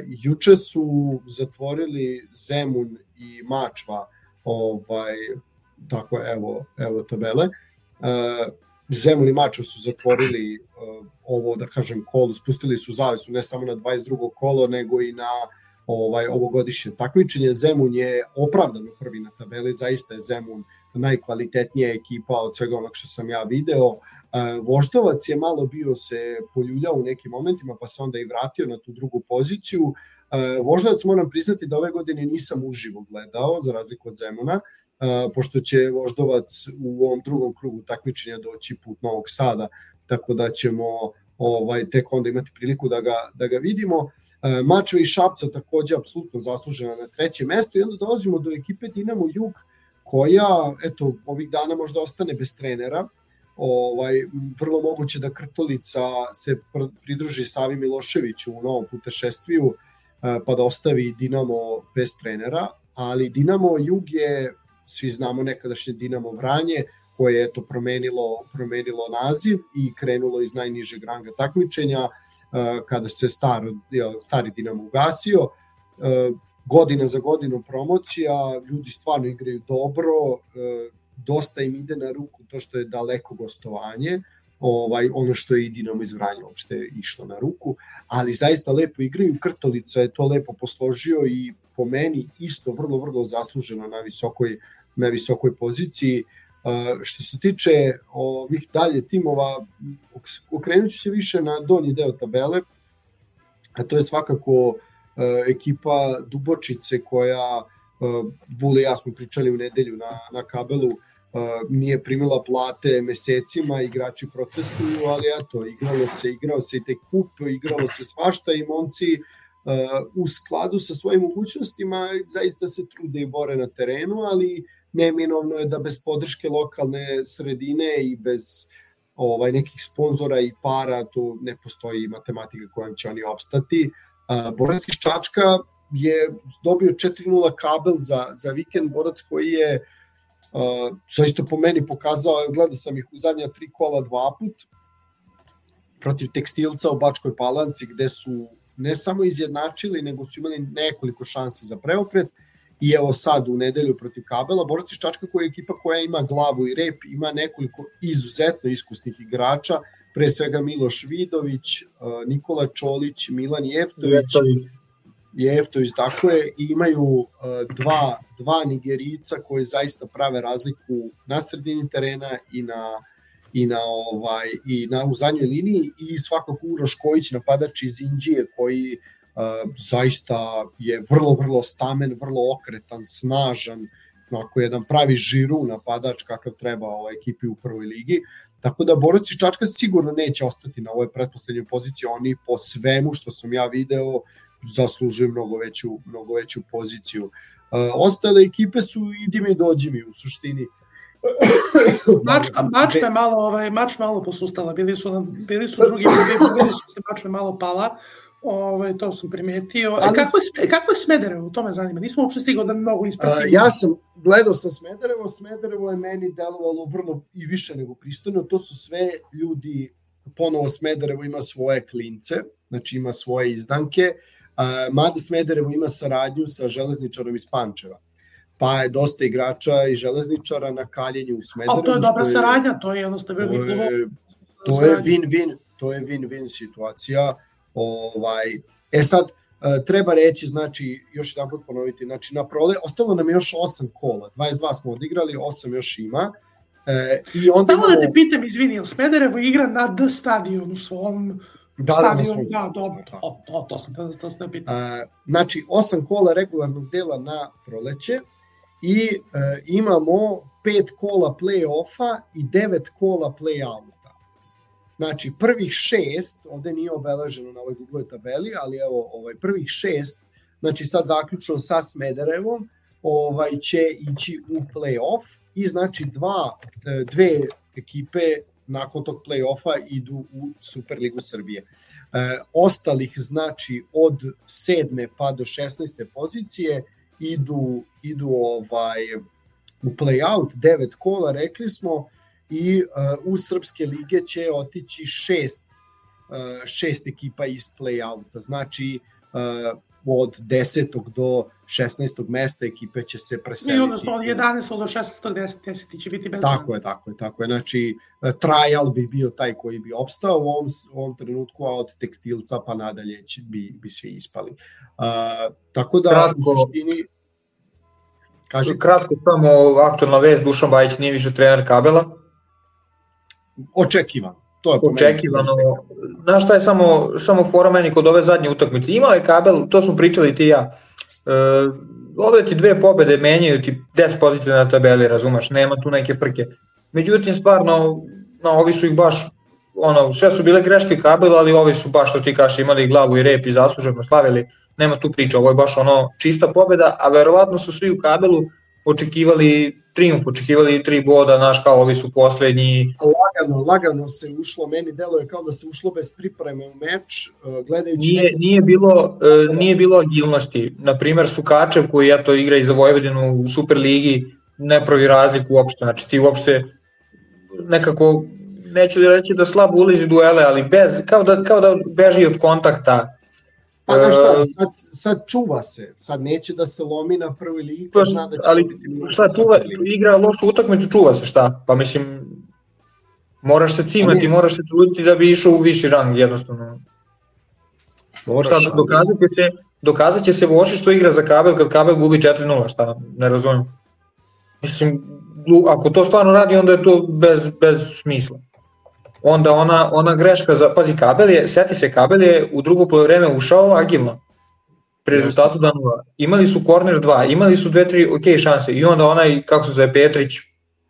juče su zatvorili Zemun i Mačva, ovaj, tako evo, evo tabele. Uh, Zemun i Mačva su zatvorili uh, ovo, da kažem, kolo, spustili su zavesu ne samo na dvadeset drugo kolo, nego i na ovaj, ovogodišnje takmičenje. Zemun je opravdano prvi na tabeli, zaista je Zemun najkvalitetnija ekipa od svega onog što sam ja video. Voždovac je malo bio se poljuljao u nekim momentima, pa se onda i vratio na tu drugu poziciju. Voždovac moram priznati da ove godine nisam uživo gledao, za razliku od Zemuna, pošto će Voždovac u ovom drugom krugu takmičenja doći put Novog Sada, tako da ćemo ovaj, tek onda imati priliku da ga, da ga vidimo. Mačva i Šapca takođe apsolutno zaslužena na trećem mestu i onda dolazimo do ekipe Dinamo Jug, koja, eto, ovih dana možda ostane bez trenera. Ovaj, vrlo moguće da Krtolica se pridruži Savi Miloševiću u novom putešestviju, pa da ostavi Dinamo bez trenera, ali Dinamo Jug je, svi znamo, nekadašnje Dinamo Vranje, koje je eto promenilo, promenilo naziv i krenulo iz najnižeg ranga takmičenja, kada se star, stari Dinamo ugasio. Godina za godinu promocija, ljudi stvarno igraju dobro, dosta im ide na ruku to što je daleko gostovanje, ovaj, ono što je i Dinamo iz Vranja uopšte išlo na ruku, ali zaista lepo igraju. Krtolica je to lepo posložio i po meni isto vrlo, vrlo zasluženo na visokoj, na visokoj poziciji. Uh, što se tiče ovih dalje timova, okrenut ću se više na donji deo tabele, a to je svakako uh, ekipa Dubočice koja, uh, Vule i ja smo pričali u nedelju na, na kabelu, uh, nije primila plate mesecima, igrači protestuju, ali eto, igralo se, igrao se i taj kup, igralo se svašta i momci uh, u skladu sa svojim mogućnostima zaista se trude i bore na terenu, ali neminovno je da bez podrške lokalne sredine i bez ovaj, nekih sponzora i para tu ne postoji matematika kojom će oni opstati. Uh, Borac iz Čačka je dobio četiri nula kabel za, za vikend. Borac koji je uh, zaista po meni pokazao, gledao sam ih u zadnja tri kola dva put protiv Tekstilca u Bačkoj Palanci, gde su ne samo izjednačili, nego su imali nekoliko šansi za preokret. I evo sad u nedelju protiv Kabela, Borac iz Čačka koja je ekipa koja ima glavu i rep, ima nekoliko izuzetno iskusnih igrača, pre svega Miloš Vidović, Nikola Čolić, Milan Jeftović, Jeftović, tako je, i imaju dva, dva Nigerica koji zaista prave razliku na sredini terena i na, i na, ovaj, i na u zadnjoj liniji, i svakako Uroš Kojić, napadač iz Indije, koji Uh, zaista je vrlo, vrlo stamen, vrlo okretan, snažan, onako jedan pravi žiru napadač kakav treba ovoj ekipi u prvoj ligi. Tako da Borac iz Čačka sigurno neće ostati na ovoj pretposlednjoj poziciji, oni po svemu što sam ja video zaslužuju mnogo veću, mnogo veću poziciju. Uh, ostale ekipe su idi mi dođi mi u suštini. Mač, mač me malo, ovaj, mač malo posustala, bili su, bili su drugi, bili su se mač me malo pala. Ove, to sam primetio. Ali, kako, je, kako je Smederevo? To me zanima. Nismo uopšte stigao da mnogo ispratimo. Uh, ja sam, gledao sam Smederevo. Smederevo je meni delovalo vrlo i više nego pristojno. To su sve ljudi, ponovo Smederevo ima svoje klince, znači ima svoje izdanke. Uh, mada Smederevo ima saradnju sa železničarom iz Pančeva. Pa je dosta igrača i železničara na kaljenju u Smederevu. A to je dobra je, saradnja, to je jednostavno... To je, to je win-win, to je win-win situacija. Ovaj, e sad, treba reći, znači, još jedan put ponoviti, znači na prole, ostalo nam je još osam kola, dvadeset dva smo odigrali, osam još ima. E, i onda Stavno imamo... da te pitam, izvini, jel Smederevo igra na D stadionu svom... Da, stadionu, da, da, dobro, to, to, to sam to, to sam pitam. E, znači, osam kola regularnog dela na proleće i e, imamo pet kola play-offa i devet kola play-outa. Znači, prvih šest, ovde nije obeleženo na ovoj Google tabeli, ali evo, ovaj, prvih šest, znači sad zaključno sa Smederevom, ovaj, će ići u play-off i znači dva, dve ekipe nakon tog play-offa idu u Superligu Srbije. E, ostalih, znači, od sedme pa do šesnaeste pozicije idu, idu ovaj, u play-out, devet kola, rekli smo, i uh, u Srpske lige će otići šest, uh, šest ekipa iz play-outa. Znači, uh, od desetog do šesnaestog mesta ekipe će se preseliti. I odnosno od jedanaestog do šesnaestog deseti će biti bez... Tako je, tako je, tako je. Znači, uh, trial bi bio taj koji bi opstao u ovom, u ovom trenutku, a od tekstilca pa nadalje će, bi, bi svi ispali. Uh, tako da, kratko, u suštini... Kaži... Kratko samo aktualna vest, Dušan Bajić nije više trener Kabela. Očekivano. To je očekivano. Znaš šta je samo, samo fora meni kod ove zadnje utakmice? Imao je Kabel, to smo pričali ti i ja. E, ovde ti dve pobede menjaju ti deset pozicija na tabeli, razumeš, nema tu neke frke. Međutim, stvarno, no, ovi su ih baš, ono, sve su bile greške Kabela, ali ovi su baš, što ti kaš, imali glavu i rep i zasluženo slavili. Nema tu priča, ovo je baš ono čista pobeda, a verovatno su svi u Kabelu očekivali triumf, očekivali tri boda, znaš, kao ovi su poslednji. Lagano, lagano se ušlo, meni deluje kao da se ušlo bez pripreme u meč, gledajući... Nije, neke... nije, bilo, uh, nije bilo agilnosti. Naprimer, Sukačev koji ja to igra i za Vojvodinu u Superligi ne pravi razliku uopšte, znači ti uopšte nekako, neću reći da slabo ulizi duele, ali bez, kao da, kao da beži od kontakta. Pa znaš šta, sad, sad čuva se, sad neće da se lomi na prvoj ligi, pa zna da će... Ali šta, čuva, igra lošu utakmicu, čuva se šta, pa mislim, moraš se cimati, moraš se truditi da bi išao u viši rang, jednostavno. Moraš, šta, dokazat će se, dokazat će se Voši što igra za Kabel, kad Kabel gubi četiri nula, šta, ne razumijem. Mislim, ako to stvarno radi, onda je to bez, bez smisla. Onda ona, ona greška za, pazi, Kabel je, seti se, Kabel je u drugo poluvreme ušao agilno, pri rezultatu da nula. Imali su korner dva, imali su dve, tri ok šanse i onda onaj, kako se zove, Petrić,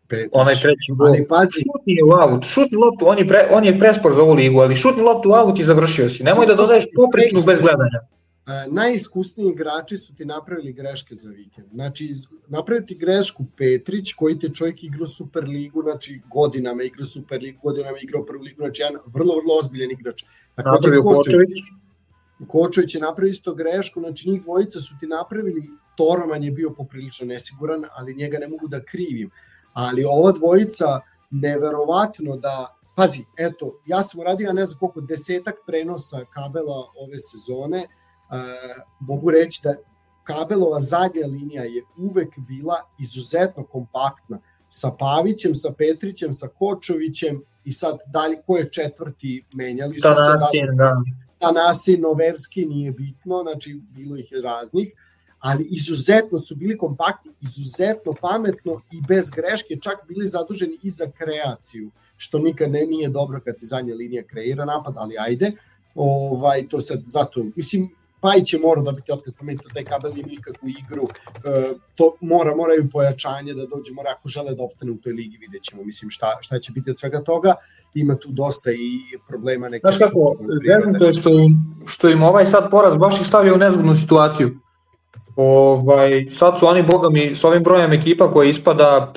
Petrić. onaj treći gol, šutni je u aut, šutni loptu, on je, pre, on je prespor za ovu ligu, ali šutni loptu u aut i završio si, nemoj da dodaješ popretnu bez gledanja. Najiskusniji igrači su ti napravili greške za vikend. Znači, napraviti grešku Petrić, koji te čovjek igra u Superligu, znači godinama igra u Superligu, godinama igra u prvu ligu, znači jedan vrlo, vrlo ozbiljen igrač. Napravio Kočević. Kočević je napravio isto grešku, znači njih dvojica su ti napravili, Toroman je bio poprilično nesiguran, ali njega ne mogu da krivim. Ali ova dvojica, neverovatno da, pazi, eto, ja sam uradio, ne znam koliko, desetak prenosa Kabela ove sezone. Uh, mogu reći da Kabelova zadnja linija je uvek bila izuzetno kompaktna sa Pavićem, sa Petrićem, sa Kočovićem i sad dalje ko je četvrti menjali su Tanasin, se da. Tanasin, Noverski, nije bitno, znači bilo ih je raznih, ali izuzetno su bili kompaktni, izuzetno pametno i bez greške, čak bili zaduženi i za kreaciju, što nikad ne nije dobro kad ti zadnja linija kreira napad, ali ajde, ovaj, to sad zato, mislim, Pajić je morao dobiti otkaz, pomenito taj Kabel nije nikakvu igru, e, to mora, moraju pojačanje da dođe, mora ako žele da opstane u toj ligi, vidjet ćemo, mislim šta, šta će biti od svega toga, ima tu dosta i problema neke... Znaš kako, to je što, što im ovaj sad poraz baš ih stavio u nezgodnu situaciju. Ovaj, sad su oni, boga mi, s ovim brojem ekipa koja ispada,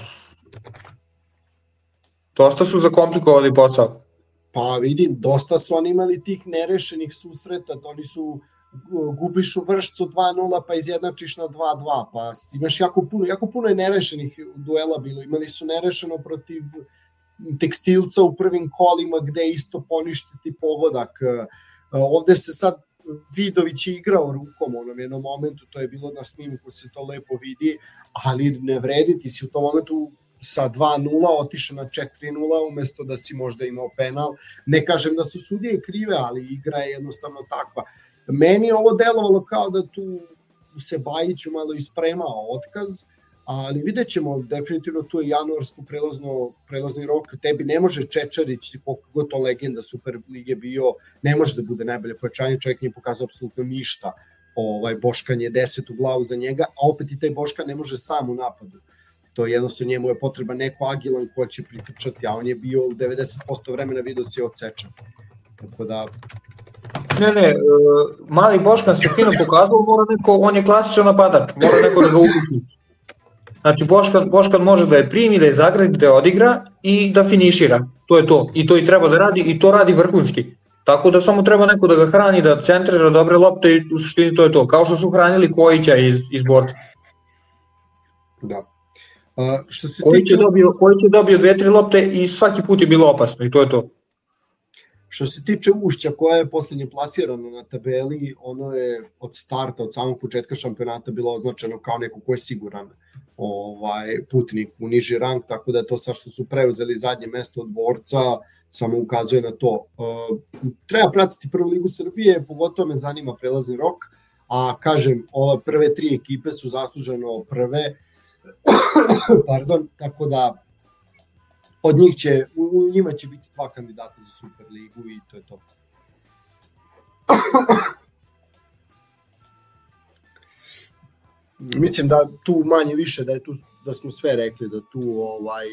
dosta su zakomplikovali posao. Pa vidim, dosta su oni imali tih nerešenih susreta, oni su gubiš u Vršcu dva nula pa izjednačiš na dva dva, pa imaš jako puno, jako puno je nerešenih duela bilo, imali su nerešeno protiv Tekstilca u prvim kolima gde isto poništiti pogodak. Ovde se sad Vidović je igrao rukom u onom jednom momentu, to je bilo na snimku, se to lepo vidi, ali ne vredi, ti si u tom momentu sa dva nula otišao na četiri nula umesto da si možda imao penal. Ne kažem da su sudije krive, ali igra je jednostavno takva. Meni je ovo delovalo kao da tu se Bajiću malo ispremao otkaz, ali vidjet ćemo, definitivno tu je januarsko prelazno, prelazni rok, tebi ne može Čečarić, koliko god to legenda Super Lige bio, ne može da bude najbolje pojačanje, čovjek nije pokazao apsolutno ništa, ovaj, Boškan je deset u glavu za njega, a opet i taj Boškan ne može sam u napadu. To je jednostavno, njemu je potreba neko agilan ko će pritrčati, a on je bio u devedeset posto vremena video se odsečan. Tako da... Ne, ne, mali Boškan se fino pokazao, mora neko, on je klasičan napadač, mora neko da ga uključi. Znači, Boškan, Boškan može da je primi, da je zagradi, da je odigra i da finišira. To je to. I to i treba da radi i to radi vrhunski. Tako da samo treba neko da ga hrani, da centrira dobre lopte i u suštini to je to. Kao što su hranili Kojića iz, iz borca. Da. Uh, što se Kojić tiče... je dobio, Kojić je dobio dve, tri lopte i svaki put je bilo opasno i to je to. Što se tiče Ušća koja je poslednje plasirano na tabeli, ono je od starta, od samog početka šampionata bilo označeno kao neko ko je siguran ovaj, putnik u niži rang, tako da je to sad što su preuzeli zadnje mesto od Borca, samo ukazuje na to. Uh, treba pratiti prvu ligu Srbije, pogotovo me zanima prelazni rok, a kažem, ove prve tri ekipe su zasluženo prve, pardon, tako da od njih će, u njima će biti dva kandidata za Superligu i to je to. Mislim da tu manje više, da je tu, da smo sve rekli, da tu ovaj,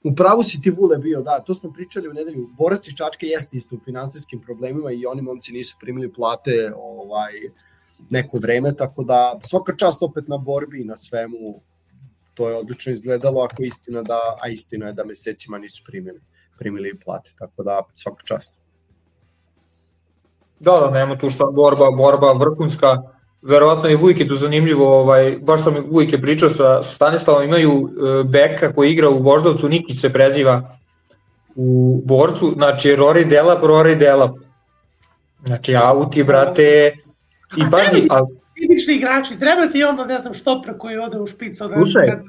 u pravu si ti Vule bio, da, to smo pričali u nedelju, Borac iz Čačka jeste isto u finansijskim problemima i oni momci nisu primili plate ovaj, neko vreme, tako da svaka čast opet na borbi i na svemu, to je odlično izgledalo, ako je istina da, a istina je da mesecima nisu primili, primili plate, tako da svaka čast. Da, da, nema tu šta, borba, borba vrhunska, verovatno i Vujke tu zanimljivo, ovaj, baš sam Vujke pričao sa, sa Stanislavom, imaju e, beka koji igra u Voždovcu, Nikić se preziva u Borcu, znači Rory Delap, Rory Delap, znači auti, brate, i pazi, ali tipični igrači, treba ti onda, ne znam, štoper koji ode u špicu. Slušaj, kad...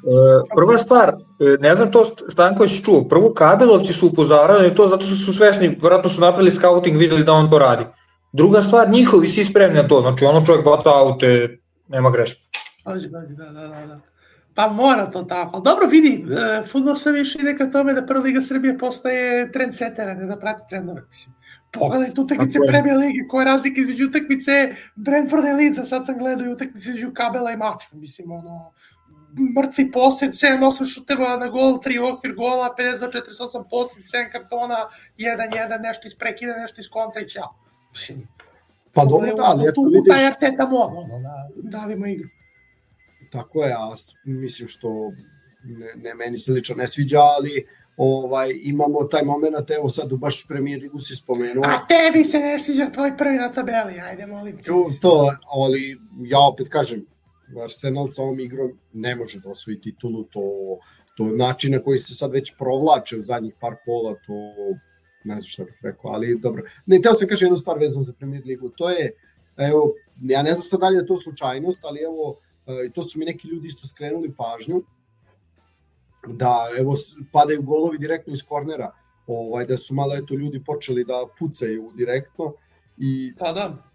prva stvar, ne znam to Stanković čuo, prvo Kabelovci su upozoravali to zato što su svesni, vjerojatno su napravili scouting, videli da on to radi. Druga stvar, njihovi svi spremni na to, znači ono čovjek baca aute, nema greške. Da, da, da, da. Pa mora to tako. Dobro, vidi, fudbal sve više ide ka tome da prva Liga Srbije postaje trendsetera, ne da prati trendove, mislim. Pogledajte utakmice Premier Lige, koja je razlika između utakmice Brentforda i Leedsa, sad sam gledao i utakmice između Kabela i Mačva, mislim, ono, mrtvi posjed, sedam osam šuteva na gol, tri okvir gola, pedeset dva četrdeset osam posjed, sedam kartona, jedan jedan, nešto iz prekida, nešto iz kontra i ćao. Mislim, pa dobro, da, ali eto vidiš... Tu taj Arteta moda, ono, da davimo igru. Tako je, a mislim što ne, ne meni se lično ne sviđa, ali ovaj, imamo taj moment, evo sad u baš Premier Ligu si spomenuo. A tebi se ne sviđa tvoj prvi na tabeli, ajde molim te. To, ali ja opet kažem, Arsenal sa ovom igrom ne može da osvoji titulu, to, to način na koji se sad već provlače u zadnjih par kola, to ne znam šta bih rekao, ali dobro. Ne, teo sam kažem jednu stvar vezanu za Premier Ligu, to je, evo, ja ne znam sad dalje da to slučajnost, ali evo, i to su mi neki ljudi isto skrenuli pažnju, da evo padaju golovi direktno iz kornera, ovaj, da su malo eto ljudi počeli da pucaju direktno i pa da.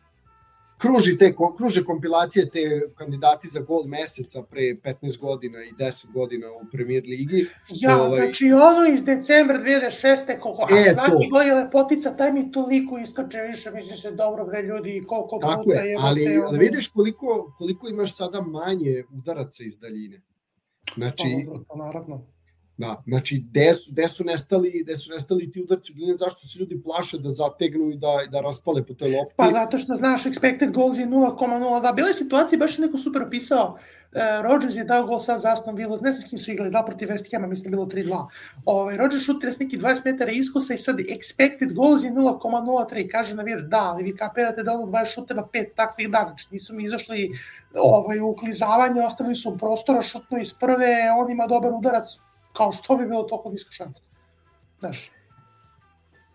Kruži te, kruže kompilacije te kandidati za gol meseca pre petnaest godina i deset godina u Premier Ligi. Ja, ovaj... znači ono iz decembra dve hiljade šeste koliko, a e, svaki to. Gol je lepotica, taj mi toliko iskače više, misli se dobro bre ljudi, koliko tako puta je, ali, te, ali vidiš koliko, koliko imaš sada manje udaraca iz daljine. Znači, to, naravno. Da, znači, gde su, gde su, nestali, gde su nestali ti udarci u daljinu, zašto se ljudi plaše da zategnu i da, da raspale po toj lopti? Pa zato što, znaš, expected goals je nula zarez nula dva. Bila je situacija, baš je neko super opisao, uh, Rodgers je dao gol sad za Aston Villa, ne znam s kim su igrali, da protiv West Hama, mislim bilo tri dva. Ovaj, Rodgers šutira s neki dvadeset metara iskosa i sad expected goals je nula zarez nula tri. Kaže navijač, da, ali vi kapirate da ono dvadeset šuteva pet takvih da, znači nisu mi izašli ovaj, u uklizavanje, ostavili su prostora, šutnu iz prve, on ima dobar udarac, kao što bi bilo toliko niska šansa. Znaš,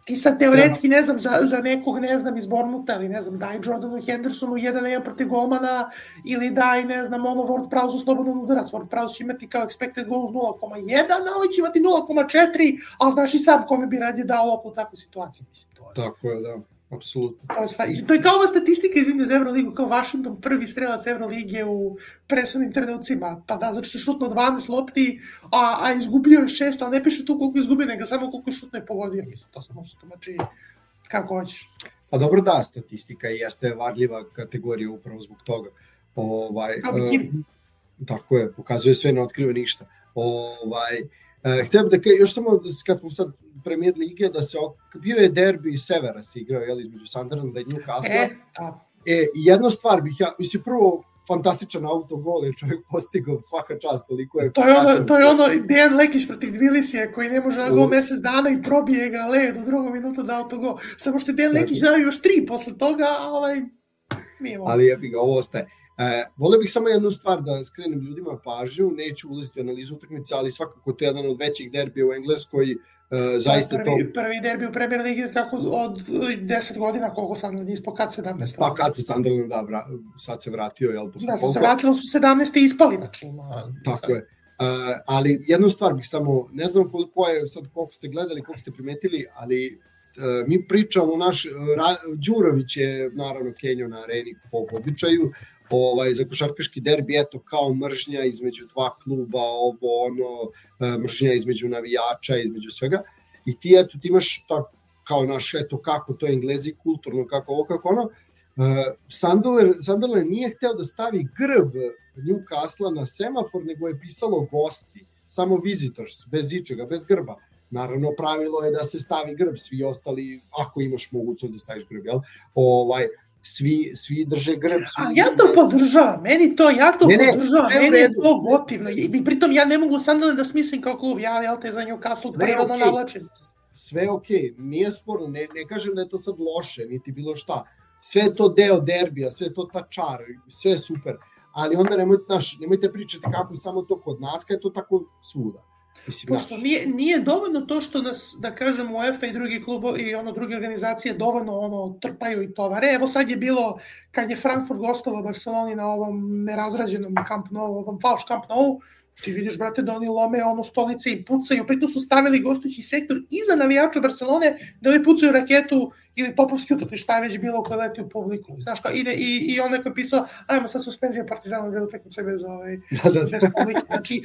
ti sad teoretski, ne znam, za, za nekog, ne znam, iz Bournemoutha, ili ne znam, daj Jordanu Hendersonu jedan jedan protiv golmana, ili daj, ne znam, ono, Ward Prowse slobodan udarac. Ward Prowse će imati kao expected goals nula zarez jedan, ali će imati nula zarez četiri, ali znaš i sam kome bi radije dao loptu u takvoj situaciji, mislim, to je. Tako je, da. Apsolutno. To je, sva... to je kao ova statistika, izvinite, za Euroligu, kao Washington prvi strelac Euroligije u presudnim trenucima. Pa da, znači šutno dvanaest lopti, a, a izgubio je šest, ali ne piše tu koliko je izgubio, nego samo koliko je šutno i pogodio. Mislim, to se može tumači kako hoćeš. Pa dobro, da, statistika jeste varljiva kategorija upravo zbog toga. Ovaj, kao bikini. Uh, tako je, pokazuje sve, ne otkriva ništa. Ovaj, uh, htio bih da kaj, još samo kad smo sad Premier lige, da se bio je derbi severa se igrao, jel, između Sunderlanda i Newcastle. E, a... e, jednu stvar bih ja, mislim, prvo fantastičan autogol, jer čovjek postigao svaka čast, toliko je... To je ono, to je ono Dejan Lekić protiv Tbilisija, koji ne može na gol mesec dana i probije ga led u drugom minutu da autogol. Samo što je Dejan Lekić dao još tri posle toga, a ovaj... Nije ali je ga, ovo ostaje. E, volio bih samo jednu stvar da skrenem ljudima pažnju, neću ulaziti u analizu utakmice, ali svakako to je jedan od većih derbija u Engleskoj. Uh, zaista prvi, to... prvi derbi u Premier Ligi kako od deset godina, koliko Sunderland ispao, kad sedamnaest. Pa kad se Sunderland, da, vra, sad se vratio, jel? Da, koliko... se vratilo su sedamnaest i ispali, znači ima... Tako je. Uh, ali jednu stvar bih samo, ne znam koliko je, sad koliko ste gledali, koliko ste primetili, ali uh, mi pričamo, naš, Ra, Đurović je naravno Kenjo na areni po običaju, ovaj, za košarkaški derbi, eto, kao mržnja između dva kluba, ovo, ono, mržnja između navijača, između svega, i ti, eto, ti imaš ta, kao naš, eto, kako to Englezi, kulturno, kako ovo, kako ono, uh, Sunderland, Sunderland nije hteo da stavi grb Newcastle na semafor, nego je pisalo gosti, samo visitors, bez ičega, bez grba. Naravno, pravilo je da se stavi grb, svi ostali, ako imaš mogućnost da staviš grb, jel? Ovaj, Svi, svi drže grb. Svi a ja to drže... podržavam, meni to, ja to ne, ne, podržavam, meni je to gotivno. I pritom ja ne mogu Sunderland da smislim kao klub, ja, jel te za Newcastle prirodno okay. navlačim. Sve ok, nije sporno, ne, ne kažem da je to sad loše, niti bilo šta. Sve je to deo derbija, sve je to ta čar, sve je super. Ali onda nemojte, naš, nemojte pričati kako samo to kod nas, kada je to tako svuda. Mislim, pošto nije, nije dovoljno to što nas, da kažem, UEFA i drugi klubovi i ono druge organizacije dovoljno ono trpaju i tovare. Evo sad je bilo, kad je Frankfurt gostovao Barceloni na ovom nerazrađenom Camp Nou, ovom falš Camp Nou, ti vidiš, brate, da oni lome ono stolice i pucaju, pritom su stavili gostujući sektor iza navijača Barcelone da li pucaju raketu ili topovski utot, šta je već bilo koje leti u publiku. Znaš kao, ide i, i on neko je pisao, ajmo sad suspenzija Partizana bila utakmice bez, ovaj, da, da, da. bez publike. Znači,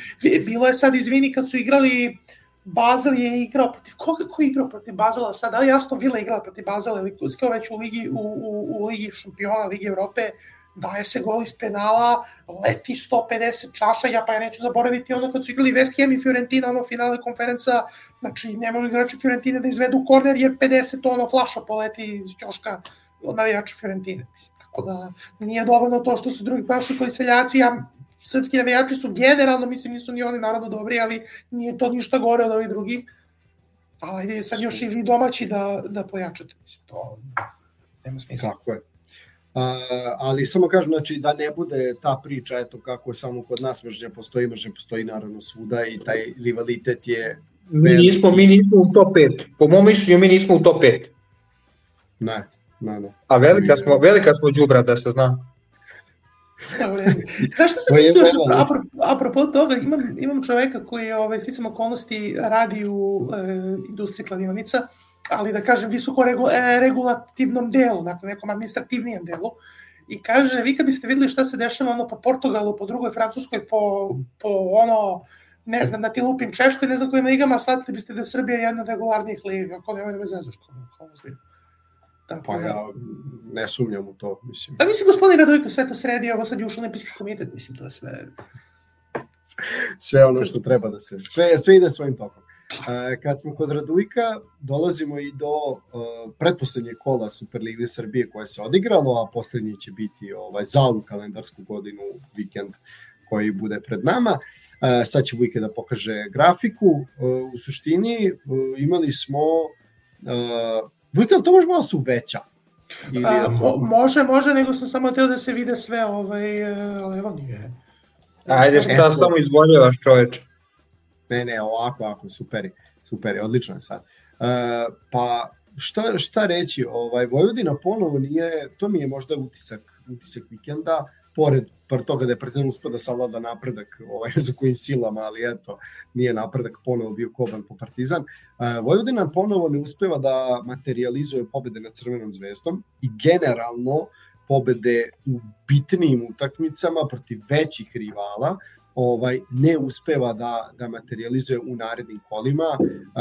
bilo je sad, izvini, kad su igrali, Basel je igrao protiv, ko, ko je igrao protiv Basela sad, ali Aston Villa igrala protiv Basela ili kao već u Ligi, u, u, u Ligi šampiona, Ligi Evrope, daje se gol iz penala, leti sto pedeset čaša, ja pa ja neću zaboraviti ono kad su igrali West Ham i Fiorentina, ono finale konferenca, znači nemaju igrači Fiorentine da izvedu korner jer pedeset ono flaša poleti iz ćoška od navijača Fiorentine. Tako da nije dovoljno to što su drugi pašukali seljaci, ja, srpski navijači su generalno, mislim nisu ni oni naravno dobri, ali nije to ništa gore od ovih drugih. Ali ajde sad još i vi domaći da, da pojačate, mislim, to nema smisla. Tako je. Uh, ali samo kažem, znači, da ne bude ta priča, eto kako samo kod nas mržnja postoji, mržnja postoji naravno svuda i taj rivalitet je... Mi nismo, mi nismo u top pet. Po mom mišljenju mi nismo u top pet. Ne, ne, ne. A velika smo, velika smo đubra, da se zna. Znaš što sam mislio, apropo, apropo toga, imam, imam čoveka koji je ovaj, sticam okolnosti radi u e, industriji kladionica, ali da kažem visoko regu, e, regulativnom delu, dakle nekom administrativnijem delu, i kaže, vi kad biste videli šta se dešava ono po Portugalu, po drugoj Francuskoj, po, po ono, ne znam, da ti lupim Češkoj, ne znam kojim ligama, shvatili biste da je Srbija jedna od regularnijih liga, ako nemoj da me zezaš, kao ozbiljno. Tako, pa ja ne sumnjam u to, mislim. Pa mislim, gospodin Radojko sve to sredi, ovo sad je ušao nepisni komitet, mislim, to je sve... sve ono što treba da se, sve, sve ide svojim tokom. Uh, kad smo kod Radujka, dolazimo i do uh, pretposlednjeg kola Superlige Srbije koje se odigralo, a poslednji će biti ovaj, za ovu kalendarsku godinu vikend koji bude pred nama. Uh, sad će Vujke da pokaže grafiku. Uh, u suštini uh, imali smo uh, Vujke, to može malo su veća? Ili A, mo, može, može, nego sam samo teo da se vide sve, ovaj, ali evo nije. Ajde, šta samo izboljevaš, čoveče? Ne, ne, ovako, ovako, super je, super je, odlično je sad. Uh, pa šta, šta reći, ovaj, Vojvodina ponovo nije, to mi je možda utisak, utisak vikenda, pored par toga da je Partizan uspio da savlada napredak ovaj, za kojim silama, ali eto, nije napredak ponovo bio koban po Partizan. Uh, Vojvodina ponovo ne uspeva da materializuje pobede nad Crvenom zvezdom i generalno pobede u bitnijim utakmicama protiv većih rivala, ovaj ne uspeva da da materializuje u narednim kolima,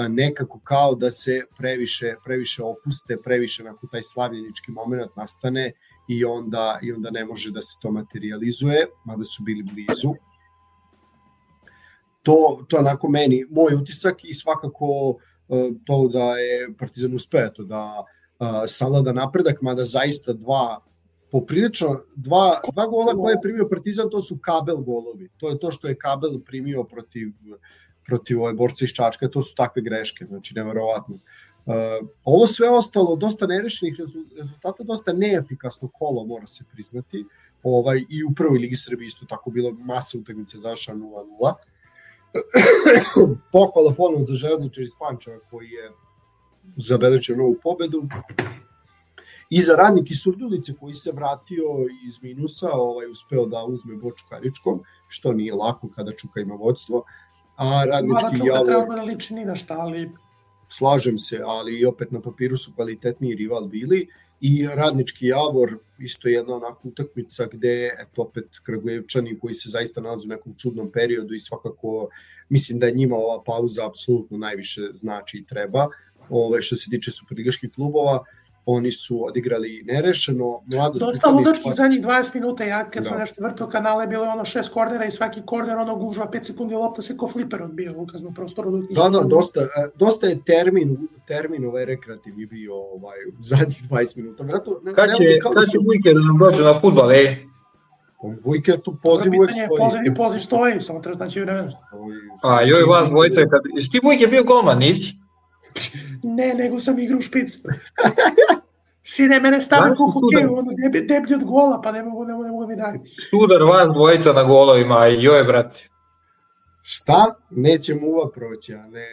nekako kao da se previše previše opuste, previše nakon taj slavljenički momenat nastane i onda i onda ne može da se to materializuje, mada su bili blizu. To to onako meni moj utisak i svakako to da je Partizan uspeo to da savlada napredak, mada zaista dva poprilično, dva, dva gola koje je primio Partizan, to su Kabel golovi. To je to što je Kabel primio protiv, protiv ove borca iz Čačka, to su takve greške, znači neverovatno. Uh, ovo sve ostalo, dosta nerešenih rezultata, dosta neefikasno kolo, mora se priznati. Ovaj, I u prvoj Ligi Srbije isto tako bilo masa utakmice završena nula nula. Pohvala ponovno za Železničar iz Pančeva koji je zabeležio novu pobedu. I za Radnik iz Surdulice koji se vratio iz minusa, ovaj uspeo da uzme Boču Karičkom, što nije lako kada Čuka ima vodstvo. A Radnički Čuka Javor... treba da liči ni na šta, ali... Slažem se, ali opet na papiru su kvalitetniji rival bili. I Radnički Javor, isto jedna onaka utakmica gde, eto opet Kragujevčani koji se zaista nalaze u nekom čudnom periodu i svakako mislim da njima ova pauza apsolutno najviše znači i treba. Ove, što se tiče superligaških klubova, oni su odigrali nerešeno. Dosta ludačkih zadnjih dvadeset minuta, ja kad da. sam nešto vrtao kanale, bilo je ono šest kornera i svaki korner ono gužva pet sekundi, lopta se ko fliper odbija u ukaznom prostoru. Da, da, dosta, dosta je termin, termin ovaj rekreativni bio ovaj, u zadnjih dvadeset minuta. Vratno, kad će, kad će Vujke da nam dođe na futbal, ej? Vujke tu poziv uvek stoji. Pozivni poziv stoji, samo treba znači vremena. A joj vas dvojice, kad... Jesi ti Vujke bio golman, nisi? Ne, nego sam igrao u špicu. Sine, mene stavi ko hokeju, ono deblji od gola, pa ne mogu, ne mogu, ne mogu mi dati. Sudar vas dvojica na golovima, joj, brate. Šta? Neće muva proći, a ne...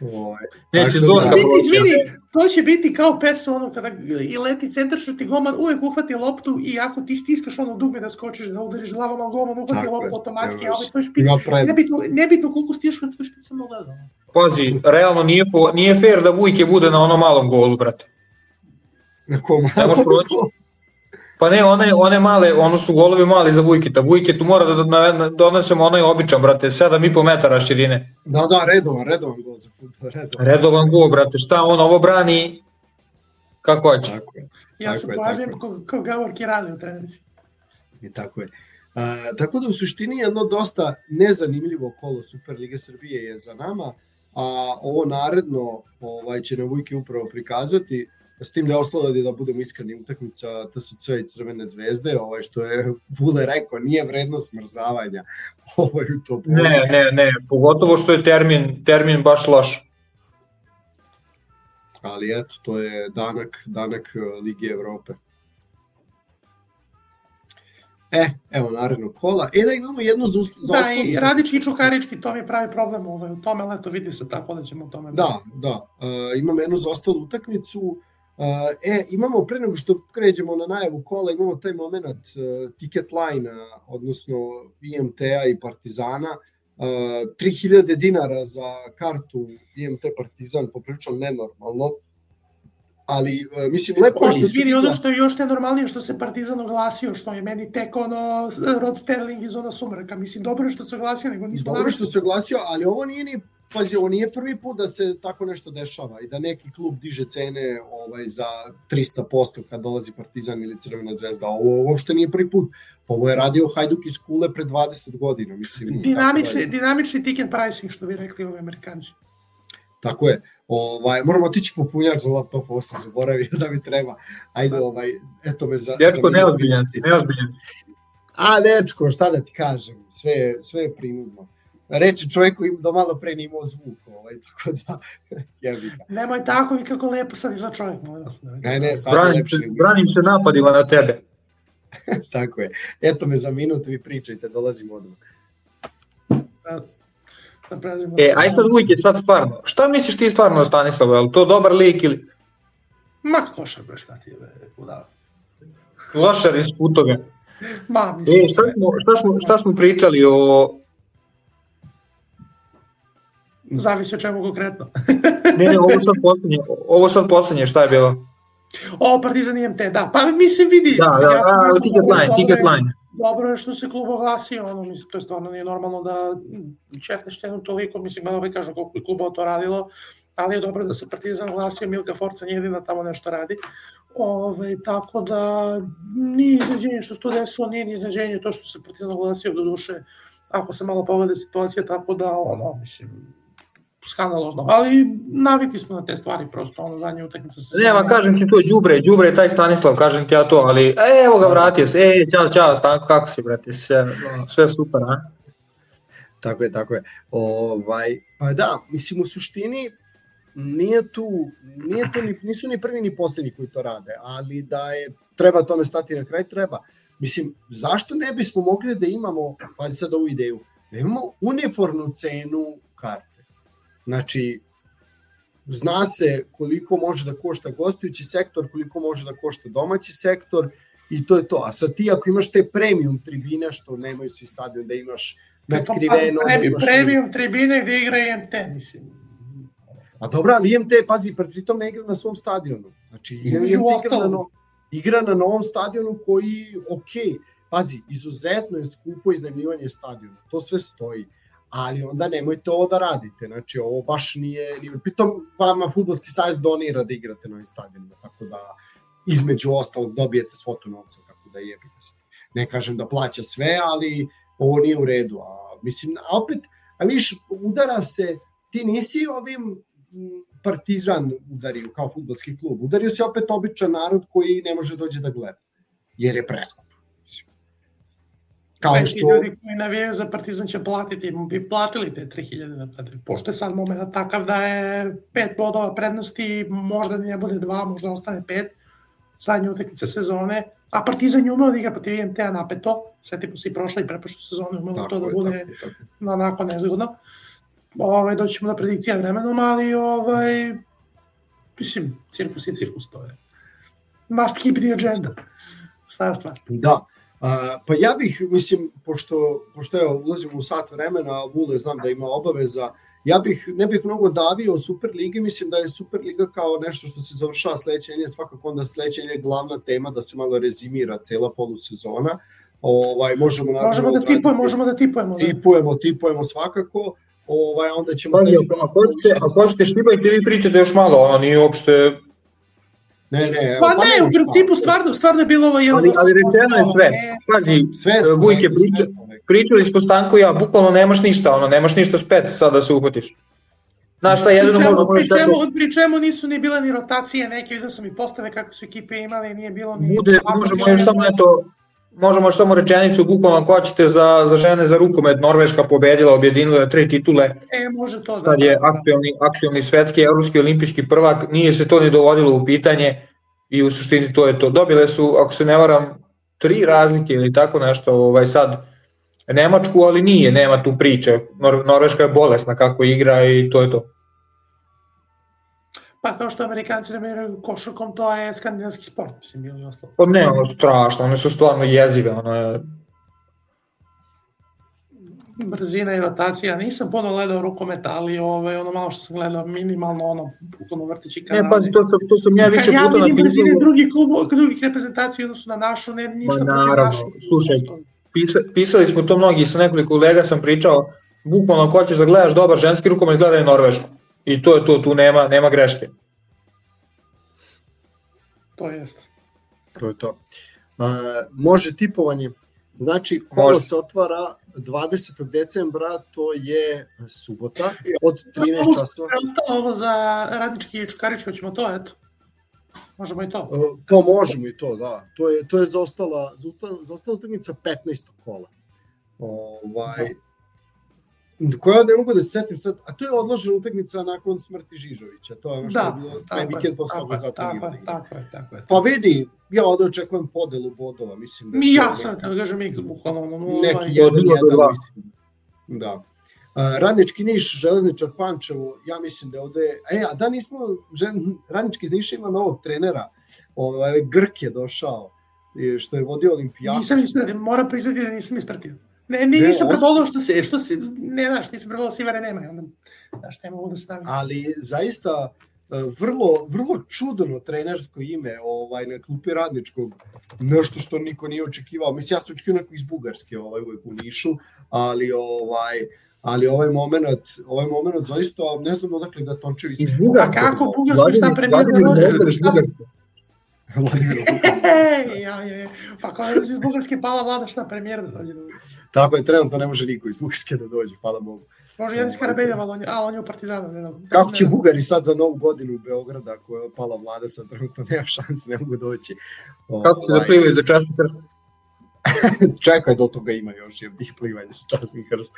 Oj, neće Zorka proći. Izvini, to će biti kao pesu, ono, kada i leti centaršut i golman uvek uhvati loptu i ako ti stiskaš ono dugme da skočiš, da udariš glavom, ali golman uhvati loptu automatski, a ovaj tvoj špic, nebitno, nebitno koliko stiš kad tvoj špic sam ogledao. Pazi, realno nije, nije fair da Vujke bude na onom malom golu, brate. Na kom malom? Pa ne, one, one male, ono su golovi mali za Vujketa. Vujketu mora da donesemo onaj običan, brate, sedam i po metara širine. Da, da, redovan, redovan gol za futbol, redovan. Redovan gol, brate, šta on ovo brani, kako hoće. Tako je. Ja se plažem kao ko Gavor Kirali u trenerici. I tako je. A, tako da u suštini jedno dosta nezanimljivo kolo Superlige Srbije je za nama, a ovo naredno ovaj, će nam Vujke upravo prikazati. S tim da je ostalo da budemo iskreni, utakmica T S C i Crvene zvezde, ovaj što je Vule rekao, nije vredno smrzavanja. Ovaj u to ne, ne, ne, pogotovo što je termin, termin baš loš. Ali eto, to je danak, danak Lige Evrope. E, evo naredno kola. E da imamo jednu za ustavnu. Da, i Radički i Čukarički, to mi je pravi problem ovaj, u tome, ali eto vidi se tako da ćemo u tome. Da, da. Uh, imamo jednu za ostalu utakmicu. Uh, e, imamo pre nego što kređemo na najavu kola, imamo taj moment uh, ticket line, odnosno I M T-a i Partizana, uh, tri hiljade dinara za kartu I M T Partizan, poprilično nenormalno, ali uh, mislim lepo je što su... Izvini, ono što je još nenormalnije što se Partizan oglasio, što je meni tek ono Rod Sterling iz ona sumraka, mislim dobro je što se oglasio, nego nismo... Dobro je što se oglasio, ali ovo nije ni pazi, ovo nije prvi put da se tako nešto dešava i da neki klub diže cene ovaj, za trista posto kad dolazi Partizan ili Crvena zvezda. Ovo uopšte nije prvi put. Ovo je radio Hajduk iz Kule pre dvadeset godina. Mislim, dinamični, dinamični ticket pricing, što bi rekli ovi Amerikanci. Tako je. Ovaj, moramo otići popunjač za laptop, ovo sam zaboravio da mi treba. Ajde, ovaj, eto me za... Dečko, neozbiljan, neozbiljan. A, dečko, šta da ti kažem, sve, sve je prinudno. Reči čovjeku im do malo pre nimao zvuk, ovaj, tako da, jebi ga. Nemoj tako i kako lepo sad izla čovjek, molim vas. Ne, ne, sad branim, je lepše. Branim se napadima na tebe. Tako je. Eto me za minut, vi pričajte, dolazimo odmah. Da, da e, aj sad uvijek je sad stvarno. Šta misliš ti stvarno o Stanislavu? Je li to dobar lik ili... Ma, klošar, bre, šta ti je, udava. Klošar iz putoga. Ma, mislim. E, šta smo, šta, smo, šta smo pričali o... Zavisi o čemu konkretno. ne, ne, ovo sad poslednje, ovo sad poslednje, šta je bilo? O, Partizan I M T, da. Pa mislim, vidi. Da, da, ja sam da, ticket line, ticket line. Dobro je što se klub oglasio, ono, mislim, to je stvarno nije normalno da čefneš jednu toliko, mislim, malo bi kažem koliko je kluba to radilo, ali je dobro da se Partizan oglasio, Milka Forca jedina tamo nešto radi. Ove, tako da nije iznenađenje što se to desilo, nije iznenađenje to što se Partizan oglasio do duše, ako se malo pogleda situacija, tako da, ono, mislim, skandalozno, ali navikli smo na te stvari, prosto ono zadnje utakmice se... Nema, kažem ti to, đubre, đubre je taj Stanislav, kažem ti ja to, ali e, evo ga, vratio se, e, čao, čao, Stanko, kako si, brate, sve, sve super, a? Tako je, tako je. Ovaj, pa da, mislim, u suštini nije tu, nije tu ni, nisu ni prvi ni posljednji koji to rade, ali da je, treba tome stati na kraj, treba. Mislim, zašto ne bismo mogli da imamo, pazi sad ovu ideju, da imamo uniformnu cenu karte? Znači, zna se koliko može da košta gostujući sektor, koliko može da košta domaći sektor i to je to. A sad ti ako imaš te premium tribine, što nemaju svi stadion, da imaš nadkriveno... Pa, imaš premium tribine gde igra I M T, mislim. A dobro, ali I M T, pazi, pritom ne igra na svom stadionu. Znači, I M T igra na, no, igra na novom stadionu koji, ok, pazi, izuzetno je skupo iznajmljivanje stadiona. To sve stoji. Ali onda nemojte ovo da radite, znači ovo baš nije, nije pritom vama Fudbalski savez donira da igrate na ovim stadionima, tako da između ostalog dobijete svotu novca, tako da jebite se. Ne kažem da plaća sve, ali ovo nije u redu, a mislim, a opet, a viš, udara se, ti nisi ovim Partizan udario kao fudbalski klub, udario se opet običan narod koji ne može dođe da gleda, jer je preskup. Kao što... ljudi koji navijaju za Partizan će platiti, bi platili te tri hiljade da platili. Pošto je sad moment takav da je pet bodova prednosti, možda ne bude dva, možda ostane pet, zadnje utakmice sezone, a Partizan je umeo da igra protiv I M T-a napeto, svetimo se i prošle i preprošle sezone, umelo to da bude tako, tako. onako nezgodno. Ove, doćemo na predikcija vremenom, ali ovaj, mislim, cirkus je cirkus, to je. Must keep the agenda. Stara stvar. Da. Uh, pa ja bih, mislim, pošto, pošto evo, ulazimo u sat vremena, a Vule znam da ima obaveza, ja bih, ne bih mnogo davio o Superligi, mislim da je Superliga kao nešto što se završava sledeće nedelje, svakako onda sledeće nedelje glavna tema da se malo rezimira cela polusezona. Ovaj, možemo, možemo da tipujemo, možemo da tipujemo. Tipujemo, tipujemo svakako. Ovaj, onda ćemo... Pa, ako hoćete štibajte, vi pričate još malo, ono nije uopšte... Ne, ne, pa, pa ne, u principu stvarno, stvarno je bilo ovo jedno... Ali, ali rečeno je sve, pazi, Vujke, pričali smo Stanko i ja, bukvalno nemaš ništa, ono, nemaš ništa spet sad da se uhvatiš. Znaš šta, jedino možemo... Pri čemu nisu ni bile ni rotacije neke, vidio sam i postave kako su ekipe imali, nije bilo ni... Bude, možemo još samo eto, možemo još samo rečenicu, bukvalno ako hoćete za, za žene za rukomet, Norveška pobedila, objedinila tri titule. E, može to da. Sad je aktuelni, aktuelni svetski, evropski, olimpijski prvak, nije se to ni dovodilo u pitanje i u suštini to je to. Dobile su, ako se ne varam, tri razlike ili tako nešto, ovaj sad Nemačku, ali nije, nema tu priče. Nor, Norveška je bolesna kako igra i to je to. Pa kao što Amerikanci ne meraju košarkom, to je skandinavski sport, mislim, ili ostalo. Pa ne, ono strašno, one su stvarno jezive, ono je... Brzina i rotacija, nisam puno gledao rukometa, ali ovaj, ono malo što sam gledao, minimalno ono, puno vrtići kanale. Ne, pazi, to sam, to sam ja više puta napisao. Kad ja vidim brzine drugih klubova, drugih reprezentacija odnosu na našu, ne, ništa protiv našu. Slušaj, pisa, pisali smo to mnogi, sa nekoliko kolega sam pričao, bukvalno ako hoćeš da gledaš dobar ženski rukomet, gledaj Norvešku. I to je to, tu nema, nema greške. To jest. To je to. Uh, može tipovanje. Znači, kolo može. Se otvara dvadesetog decembra, to je subota, od trinaest časova. Ostalo ovo za Radnički i Čukarički, ćemo to, eto. Možemo i to. Uh, pa možemo i to, da. To je, to je zaostala, zaostala utakmica petnaestog kola. Ovaj... koja ne mogu da se setim sad, a to je odložena utakmica nakon smrti Žižovića, to je ono što da, je bilo taj vikend posle toga za tako, tako je, tako je. Pa vidi, ja ovde očekujem podelu bodova, mislim da... Mi ja sam, da kažem, X bukvalno. Neki jedan, jedan, mislim. Da. Uh, Radnički Niš, Železničar Pančevo, ja mislim da ovde... E, a da nismo, Radnički iz Niša ima novog trenera, ovaj, Grk je došao, što je vodio Olimpijadu. Nisam ispratio, moram priznati da nisam ispratio. Ne, ne, nisam prebolao što se, što se, ne, znaš, nisam prebolao Sivare nema, onda, znaš, ne mogu da stavim. Ali, zaista, vrlo, vrlo čudno trenersko ime, ovaj, na klupi Radničkog, nešto što niko nije očekivao, mislim, ja sam očekivao neko iz Bugarske, ovaj, uvek u Nišu, ali, ovaj, ali ovaj moment, ovaj moment, zaista, ne znam odakle da Tončevi... Iz Bugarske? A kako Bugarsko, šta premijer da rođe? Vladimir Ej, ja, ja, ja. Pa kao je iz Bugarske pala Vlada, šta premijer da dođe? Tako je, trenutno ne može niko iz Bugarske da dođe, hvala Bogu. Može Janis Karabeljev, ali on je u Partizanu. Ne znam. Kako će Bugari sad za novu godinu u Beograda, ako je pala Vlada, sad trenutno nema šanse, ne mogu doći. Kako će da plivaju za časni krst? Čekaj, do toga ima još jevdih plivanja sa časni krst,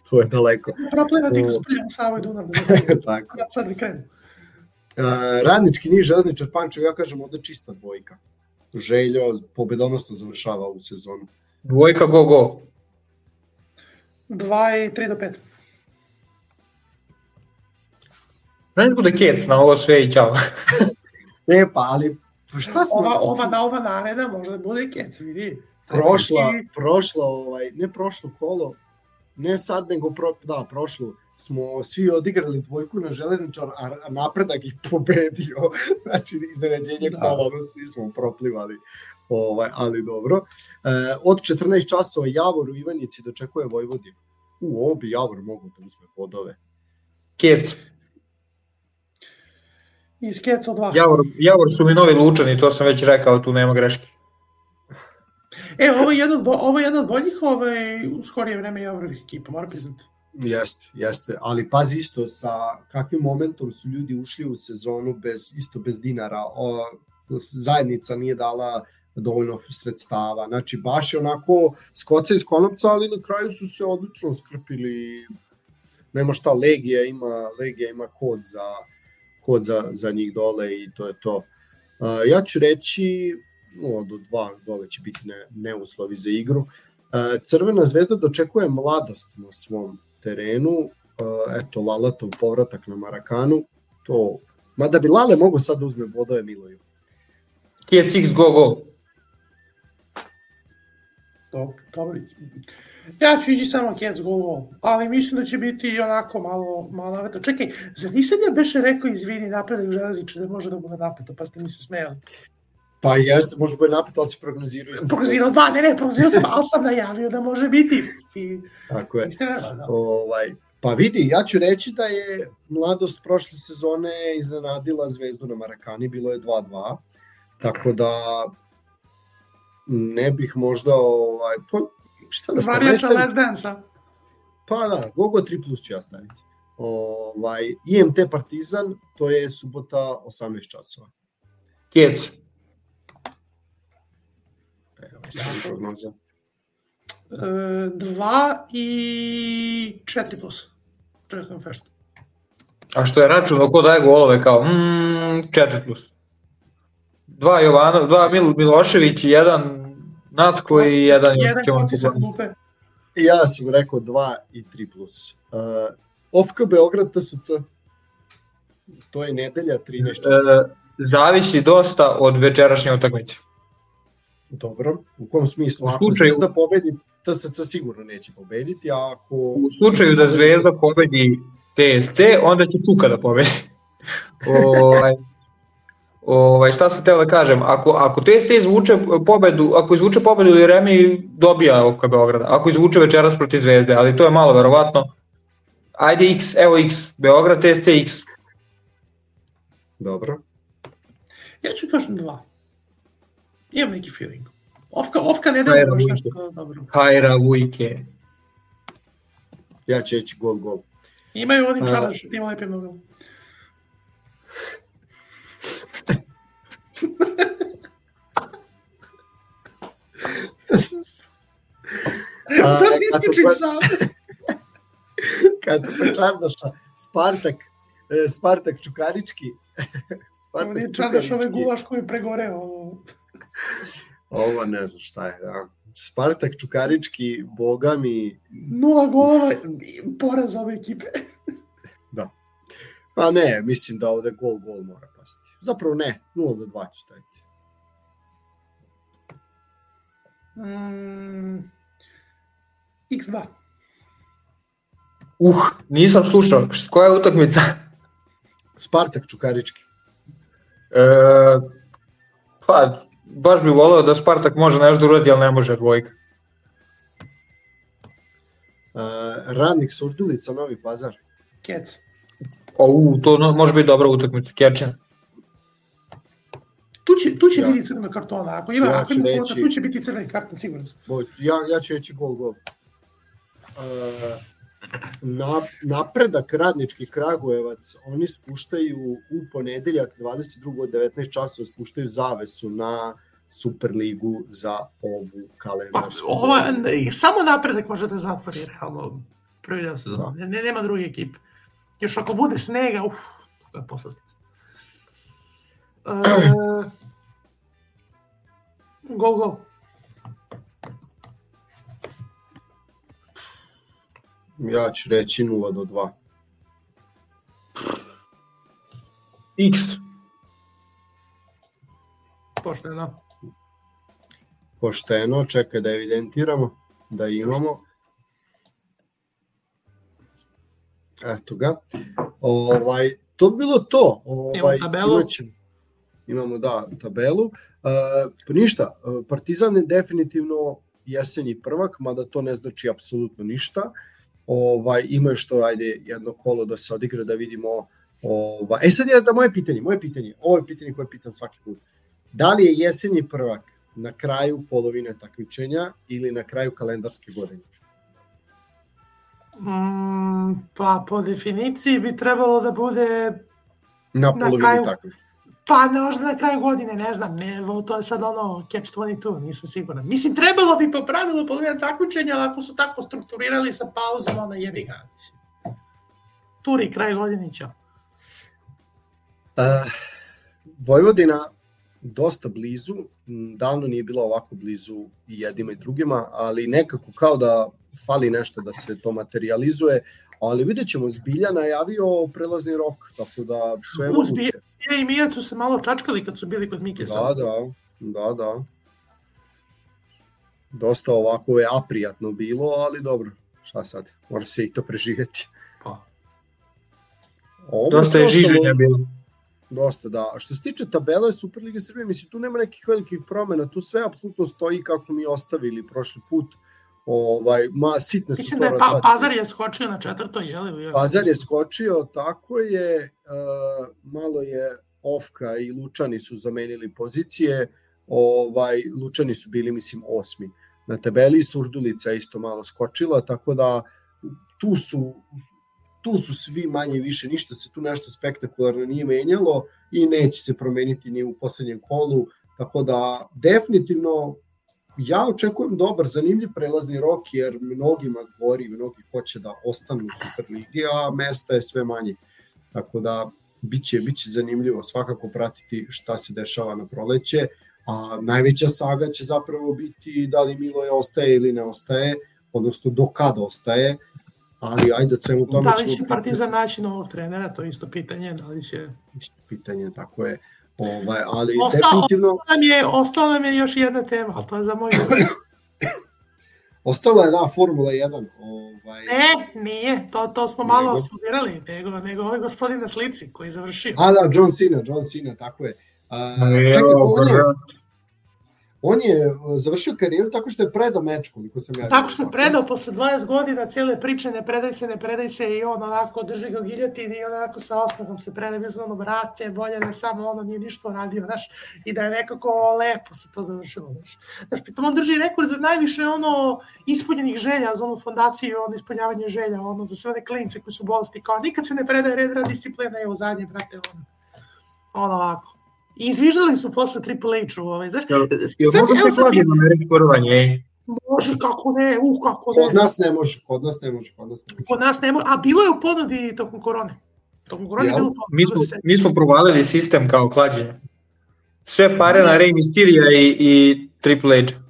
to je daleko. Proplivati kroz Pljevu, Savo i Dunav, da ne sad li krenu. Uh, Radnički Niš, Železničar Pančevo, ja kažem ovde čista dvojka. Željo pobedonosno završava ovu sezonu. Dvojka go go. Dva i tri do pet. Ne bude kec na ovo sve i čao. Ne pa, ali šta smo... Ova, ova, na ova nareda može da bude kec, vidi. Prošla, prošla, ovaj, ne prošlo kolo, ne sad nego, pro, da, prošlo. Smo svi odigrali dvojku na Železničar, a Napredak ih pobedio, znači iznenađenje da. Kola, ono svi smo proplivali, ovaj, ali dobro. E, od četrnaest časova Javor u Ivanjici dočekuje Vojvodinu. U, ovo bi Javor mogu da uzme podove. Kec. Iz Keca dva. Javor, Javor su mi novi Lučani, to sam već rekao, tu nema greške. E, ovo je jedan, ovo je jedan od boljih ovaj, u skorije vreme Javorovih ekipa, moram priznati. Jeste, jeste, ali pazi isto sa kakvim momentom su ljudi ušli u sezonu bez, isto bez dinara, o, zajednica nije dala dovoljno sredstava, znači baš je onako skoca iz konopca, ali na kraju su se odlično skrpili, nema šta, Legija ima, Legija ima kod za, kod za, za njih dole i to je to. Uh, ja ću reći, no, do dva dole će biti ne, neuslovi za igru. Uh, Crvena zvezda dočekuje Mladost na svom terenu, uh, eto Lalatov povratak na Marakanu, to, mada bi Lale mogo sad da uzme bodove Miloju. Kjec X go go. Dobro, ja ću ići samo Kjec go go, ali mislim da će biti onako malo, malo naveto. Čekaj, zar nisam ja beše rekao izvini Napredak Železničar da može da bude napeto, pa ste mi se smijali? Pa jeste, može bude napeto, ali se prognozirao isto. Prognozirao dva, ne, ne, prognozirao sam, ali sam najavio da može biti. I, tako je. Da. Ovaj, pa vidi, ja ću reći da je Mladost prošle sezone iznenadila Zvezdu na Marakani, bilo je dva dva, tako da ne bih možda, ovaj, pa, šta da stavim? Varijača Last Dance-a. Pa da, Gogo tri plus ću ja staviti. Ovaj, I M T Partizan, to je subota osamnaest časova. Kjec. E, dva i četiri plus. Čekam feštu. A što je račun, ko daje golove kao mm, četiri plus. Dva Jovanov, dva Mil, Milošević i jedan Natko i jedan... Jedan konci sa glupe. Ja sam rekao dva i tri plus. Uh, O F K Beograd T S C. To je nedelja trinaest časova. Zavisi dosta od večerašnje utakmice. Dobro, u kom smislu? Ako slučaju, Zvezda pobedi, T S C sigurno neće pobediti, a ako... U slučaju da Zvezda pobedi T S C, onda će Čuka da pobedi. ovaj, ovaj, šta sam teo da kažem, ako, ako T S C izvuče pobedu, ako izvuče pobedu ili remi, dobija O F K Beograda, ako izvuče večeras protiv Zvezde, ali to je malo verovatno, Ajde X, evo X, Beograd T S C X. Dobro. Ja ću kažem dva. Imam neki feeling. Ofka, ofka ne delo baš nešto dobro. Hajra Vujke. Ja ću reći gol, gol. Imaju oni čarli što ima lepim nogama. A, to si isključim sam. Kad se počardaša Spartak, Spartak Čukarički. Spartak Čukarički. Čardaš ove gulaš koji je pregoreo. Ovo ne znam šta je, da. Spartak Čukarički, boga mi... Nula golova, poraz ove ekipe. Da. Pa ne, mislim da ovde gol, gol mora pasti. Zapravo ne, nula do dva ću staviti. Mm, iks dva. Uh, nisam slušao. Koja je utakmica? Spartak Čukarički. E, pa, baš bih voleo da Spartak može nešto uradi, ali ne može dvojka. Uh, Radnik Surdulica, Novi Pazar. Kec. O, to no, može biti dobra utakmica, Kečan. Tu će, tu će ja. biti crvena kartona, ako ima, ja ako ima reći, tu će biti crvena kartona, sigurno. Ja, ja ću reći gol, gol. Uh, na, napredak Radnički Kragujevac, oni spuštaju u ponedeljak dvadeset drugog od devetnaest časova, spuštaju zavesu na Superligu za ovu kalendarsku. Pa, ova, samo napredak može da zatvori realno prvi deo sezona, ne, nema druge ekipe. Još ako bude snega, uf, to je poslastica. Uh, gol, gol. Ja ću reći nula do dva. X. Pošteno. Pošteno, čekaj da evidentiramo, da imamo. Eto ga. Ovaj, to bi bilo to. Ovaj, imamo tabelu. Imaćemo, imamo, da, tabelu. Uh, pa ništa, Partizan je definitivno jesenji prvak, mada to ne znači apsolutno ništa. Ovaj, imaju što, ajde, jedno kolo da se odigra, da vidimo. Ovaj. E sad je da moje pitanje, moje pitanje, ovo je pitanje koje pitam svaki put. Da li je jesenji prvak na kraju polovine takmičenja ili na kraju kalendarske godine? Mm, pa po definiciji bi trebalo da bude na polovini takmičenja. Pa možda na kraju godine, ne znam, ne, to je sad ono catch dvadeset dva, nisam siguran. Mislim, trebalo bi po pravilu polovina takmičenja, ali ako su tako strukturirali sa pauzom, onda jebi ga. Turi, kraj godine, ćao. Uh, Vojvodina dosta blizu, davno nije bila ovako blizu i jedima i drugima, ali nekako kao da fali nešto da se to materializuje, ali vidjet ćemo, Zbilja najavio prelazni rok, tako da sve je moguće. Zbilja i Mijac su se malo čačkali kad su bili kod Mike. Da, da, da, da. Dosta ovako je aprijatno bilo, ali dobro, šta sad, mora se i to preživjeti. Pa. Dosta je življenja bilo. Dosta, da. A što se tiče tabele Superlige Srbije, mislim, tu nema nekih velikih promjena, tu sve apsolutno stoji kako smo mi ostavili prošli put. Ovaj, ma, sitne su. Mislim da je pa, Pazar je skočio na četvrto, je li? Pazar je skočio, tako je, uh, malo je Ofka i Lučani su zamenili pozicije, ovaj, Lučani su bili, mislim, osmi na tabeli, Surdulica isto malo skočila, tako da tu su, tu su svi manje više, ništa se tu nešto spektakularno nije menjalo i neće se promeniti ni u poslednjem kolu, tako da definitivno ja očekujem dobar, zanimljiv prelazni rok, jer mnogima gori, mnogi hoće da ostanu u Superligi, a mesta je sve manje. Tako da biće, biće zanimljivo svakako pratiti šta se dešava na proleće, a najveća saga će zapravo biti da li Miloje ostaje ili ne ostaje, odnosno do kada ostaje, ali ajde svemu tome... Da li će Partizan naći novog trenera, to je isto pitanje, da li će... Isto pitanje, tako je. Ovaj, ali ostalo, definitivno... ostalo, nam je, ostalo nam je još jedna tema, ali to je za moj... Ostala je, da, Formula jedan. Ovaj... Ne, nije, to, to smo malo nego... osudirali, nego, nego ovaj gospodin na slici koji je završio. A da, John Cena, John Cena, tako je. A, čekaj, on je, On je završio karijeru tako što je predao meč, koliko sam ja. Tako što je predao posle dvadeset godina cijele priče, ne predaj se, ne predaj se i on onako drži ga giljotin i onako sa osmehom se predaj bez ono, brate, bolje da samo ono nije ništa radio, znaš, i da je nekako lepo se to završilo, znaš. Znaš, pritom on drži rekord za najviše ono ispunjenih želja za onu fondaciju, ono ispunjavanje želja, ono za sve one klince koji su bolesti, kao nikad se ne predaje red, rad, disciplina i u zadnje, brate, ono, ono ovako. I izviždali su posle Triple H-u, ovaj, znaš, jel, jel sad, može se klađeno na reći porovanje? Može, kako ne, u, kako ne. Kod nas ne može, kod nas ne može, kod nas ne može. Kod nas ne može, a bilo je u ponudi tokom korone. Tokom korone je bilo u ponudi. Mi smo, mi smo provalili sistem kao klađenje. Sve pare na Rey Mysteria i, i Triple H.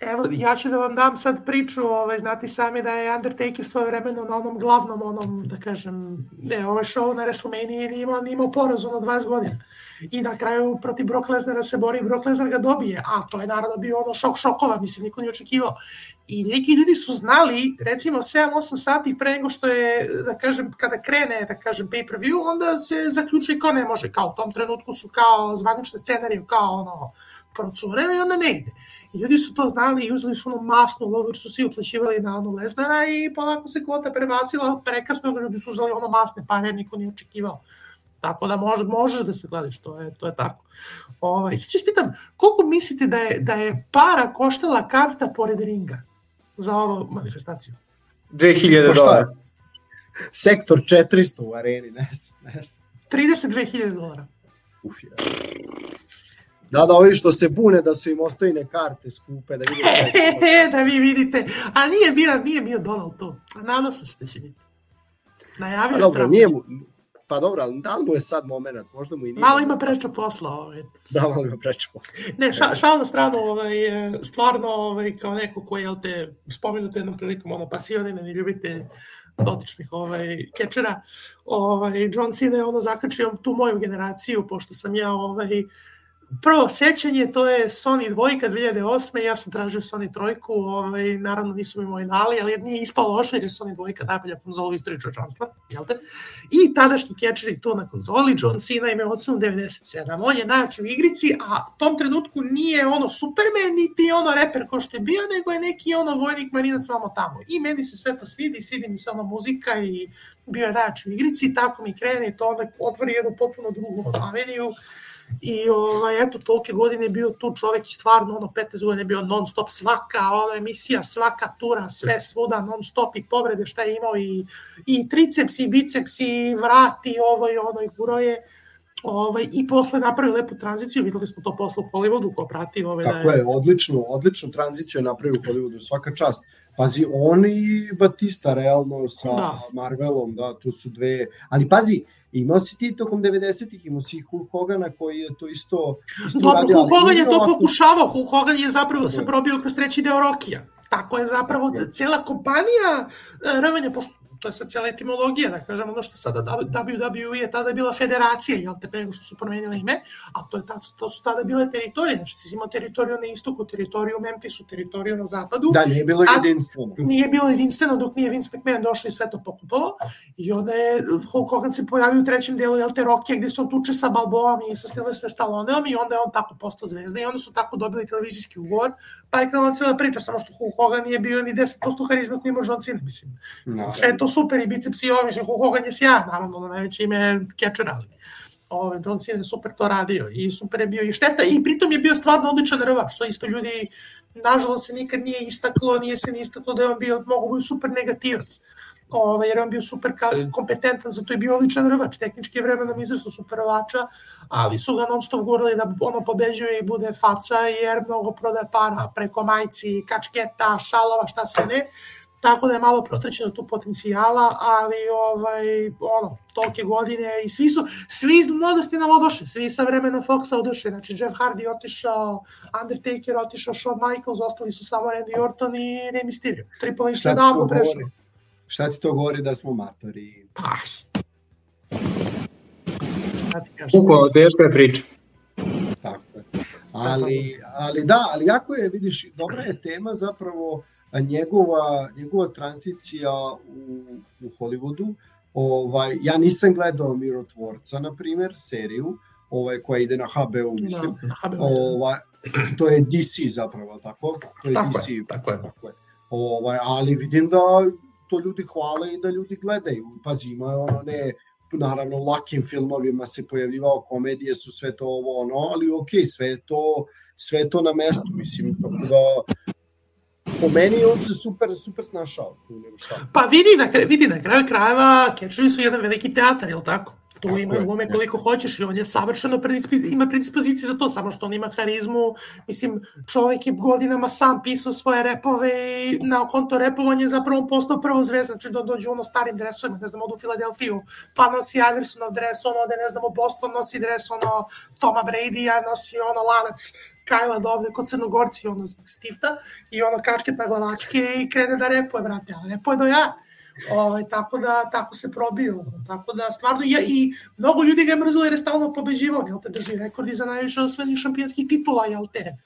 Evo, ja ću da vam dam sad priču, ovaj, znati sami da je Undertaker svoje vremeno na onom glavnom, onom, da kažem, ne, ovaj show na WrestleMania nije imao, nije imao poraz ono dvadeset godina. I na kraju protiv Brock Lesnara se bori i Brock Lesnar ga dobije, a to je naravno bio ono šok šokova, mislim, niko nije očekivao. I neki ljudi su znali, recimo sedam osam sati pre nego što je, da kažem, kada krene, da kažem, pay-per-view, onda se zaključuje kao ne može, kao u tom trenutku su kao zvanične scenarije, kao ono, procure i onda ne ide. I ljudi su to znali i uzeli su ono masnu lovu jer su svi uplaćivali na ono Lesnara i polako se kvota prebacila, prekasno ljudi su uzeli ono masne pare, niko nije očekivao. Tako da može, možeš da se gledaš, to je, to je tako. Ovaj, sad ću spitam, koliko mislite da je, da je para koštala karta pored ringa za ovu manifestaciju? dve hiljade dolara. Sektor četiristo u areni, ne znam, ne znam. trideset dve hiljade dolara. Uf, ja. Da, da, ovi što se bune da su im ostojne karte skupe, da vidite. E, da vi vidite. A nije bio, nije bio Donald tu. A nadam se da će biti. Najavio je dobro, nije mu, pa dobro, ali da li mu je sad moment? Možda mu i nije. Malo ima preča posla. Ovaj. Da, malo ima preča posla. Ne, ša, šal na stranu, ovaj, stvarno, ovaj, kao neko koji, jel te, spomenuti jednom prilikom, ono, pasionine, ne ljubite dotičnih ovaj, kečera, ovaj, John Cena je ono zakačio tu moju generaciju, pošto sam ja, ovaj, prvo sećanje, to je Sony dvojka dve hiljade osme. Ja sam tražio Sony trojku, ovaj, naravno nisu mi moji dali, ali nije ispalo loše jer je Sony dvojka najbolja konzola u istoriji čovječanstva, jel te? I tadašnji catcheri tu na konzoli, John Cena ima ocenu devedeset sedam. On je najjači u igrici, a u tom trenutku nije ono Superman, niti ono reper ko što je bio, nego je neki ono vojnik marinac vamo tamo. I meni se sve to svidi, svidi mi se ono muzika i bio je najjači u igrici, tako mi krene i to onda otvori jednu potpuno drugu aveniju. I ovaj, eto, tolike godine je bio tu čovek i stvarno ono petnaest godina je bio non stop, svaka ono emisija, svaka tura, sve svuda non stop i povrede šta je imao i, i triceps i biceps i vrat i ovo i ono i guroje. Ovaj, i posle napravio lepu tranziciju, videli smo to posle u Hollywoodu ko prati. Ovaj, Tako da je, je odličnu, odličnu tranziciju je napravio u Hollywoodu, svaka čast. Pazi, on i Batista realno sa da. Marvelom, da, tu su dve, ali pazi, imao si ti tokom devedesetih, imao si Hulk Hogana koji je to isto... isto Dobro, Hulk Hogan je to ovako... pokušavao, Hulk Hogan je zapravo se probio kroz treći deo Rokija. Tako je zapravo cela kompanija rvanja, pošto to je sad cijela etimologija, da kažem, ono što sada W W E je tada bila federacija, jel te, pre nego što su promenile ime, a to, je ta, to su tada bile teritorije, znači ti si imao teritoriju na istoku, teritoriju u Memphisu, teritoriju na zapadu. Da, nije bilo jedinstveno. Nije bilo jedinstveno dok nije Vince McMahon došao i sve to pokupalo, i onda je Hulk Hogan se pojavio u trećem delu, jel te, Rokija, gde se on tuče sa Balboom i sa Sylvester Stalloneom i onda je on tako postao zvezda i onda su tako dobili televizijski ugovor, pa je krenula cijela priča, samo što Hulk Hogan nije bio ni deset posto harizma koji ima John Cena, mislim. No. Sve to super i biceps i ovo, mislim, Hulk Hogan je sjajan, naravno, na najveće ime catcher, ali ove, John Cena je super to radio i super je bio i šteta i pritom je bio stvarno odličan rvač, što isto ljudi, nažalost, se nikad nije istaklo, nije se ni istaklo da je on bio, mogu biti super negativac, ove, jer je on bio super kompetentan, zato je bio odličan rvač, tehnički je vremenom izrastu super rvača, ali su ga non stop govorili da ono pobeđuje i bude faca, jer mnogo prodaje para preko majci, kačketa, šalova, šta sve ne. Tako da je malo protrećeno tu potencijala, ali ovaj, ono, tolike godine i svi su, svi iz mladosti nam odošli, svi sa vremena Foxa odošli, znači Jeff Hardy otišao, Undertaker otišao, Shawn Michaels, ostali su samo Randy Orton i Rey Mysterio. Triple H se davno prešao. Šta ti to govori da smo matori? Pa, šta ti kažem? Uko, teška je priča. Tako je. Ali, ali da, ali jako je, vidiš, dobra je tema zapravo njegova, njegova tranzicija u, u Hollywoodu. Ovaj, ja nisam gledao Mirotvorca, na primjer, seriju, ovaj, koja ide na ha be u, mislim. Na, na ha be u, ovaj, to je D C zapravo, tako? To je tako D C, je, tako je. Tako je. Ovaj, ali vidim da to ljudi hvale i da ljudi gledaju. Pazi, ima ono ne, naravno u lakim filmovima se pojavljivao, komedije su sve to ovo ono, ali okej, sve je to, sve je to na mestu, mislim, tako da po meni on se super, super snašao. Pa vidi na, vidi na kraju krajeva, Catcheri su jedan veliki teatar, je li tako? Tu ima glume koliko hoćeš i on je savršeno predisp... ima predispoziciju za to, samo što on ima harizmu. Mislim, čovjek je godinama sam pisao svoje repove i na konto repovanja zapravo on postao prvo zvezda, znači da dođe ono starim dresovima, ne znam, odu u Filadelfiju, pa nosi Iversonov dres, ono ode, ne znam, u Boston nosi dres, ono, Toma Brady-a, nosi ono lanac Kajla da ovde kod Crnogorci, ono, stifta, i ono kačket na glavačke i krene da repuje, brate, ali repuje do ja. Ovaj, tako da, tako se probio, tako da stvarno, ja, i mnogo ljudi ga je mrzilo jer je stalno pobeđivao, jel te, drži rekordi za najviše osvojenih šampionskih titula, jel te,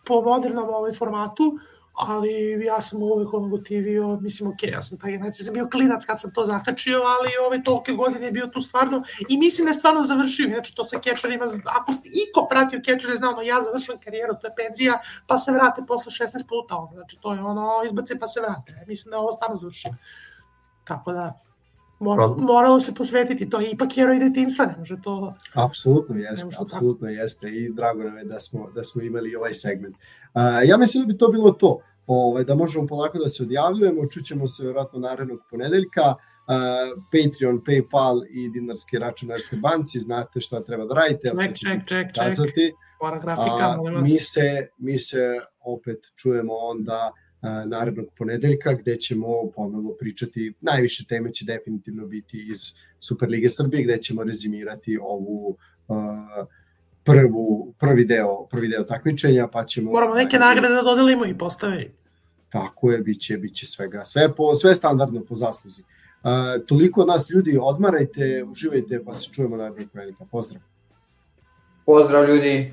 po modernom ovaj formatu, ali ja sam uvek ono gotivio, mislim, ok, ja sam taj generacija, sam bio klinac kad sam to zakačio, ali ove tolike godine je bio tu stvarno, i mislim da je stvarno završio, inače to sa Catcherima, ako ste iko pratio Catcher, zna ono, ja završujem karijeru, to je penzija, pa se vrate posle šesnaest puta, ono, znači to je ono, izbace pa se vrate, mislim da je ovo stvarno završio. Tako da, moralo, moralo se posvetiti, to je ipak heroj detinjstva, ne može to... Apsolutno jeste, apsolutno jeste i drago nam je da smo, da smo imali ovaj segment. Uh, ja mislim da bi to bilo to, ovaj, da možemo polako da se odjavljujemo, čućemo se vjerojatno narednog ponedeljka, uh, Patreon, PayPal i dinarski račun Erste banci, znate šta treba da radite, ček, ček, ček, ček, mora grafika, molim vas. Mi se, mi se opet čujemo onda narednog ponedeljka, gde ćemo ponovo pričati, najviše teme će definitivno biti iz Superlige Srbije, gde ćemo rezimirati ovu uh, prvu, prvi deo, prvi deo takmičenja, pa ćemo... Moramo neke nagrade da dodelimo i postavi. Tako je, bit će, bit će svega, sve, po, sve standardno po zasluzi. Uh, toliko od nas ljudi, odmarajte, uživajte, pa se čujemo narednog ponedeljka. Pozdrav! Pozdrav ljudi!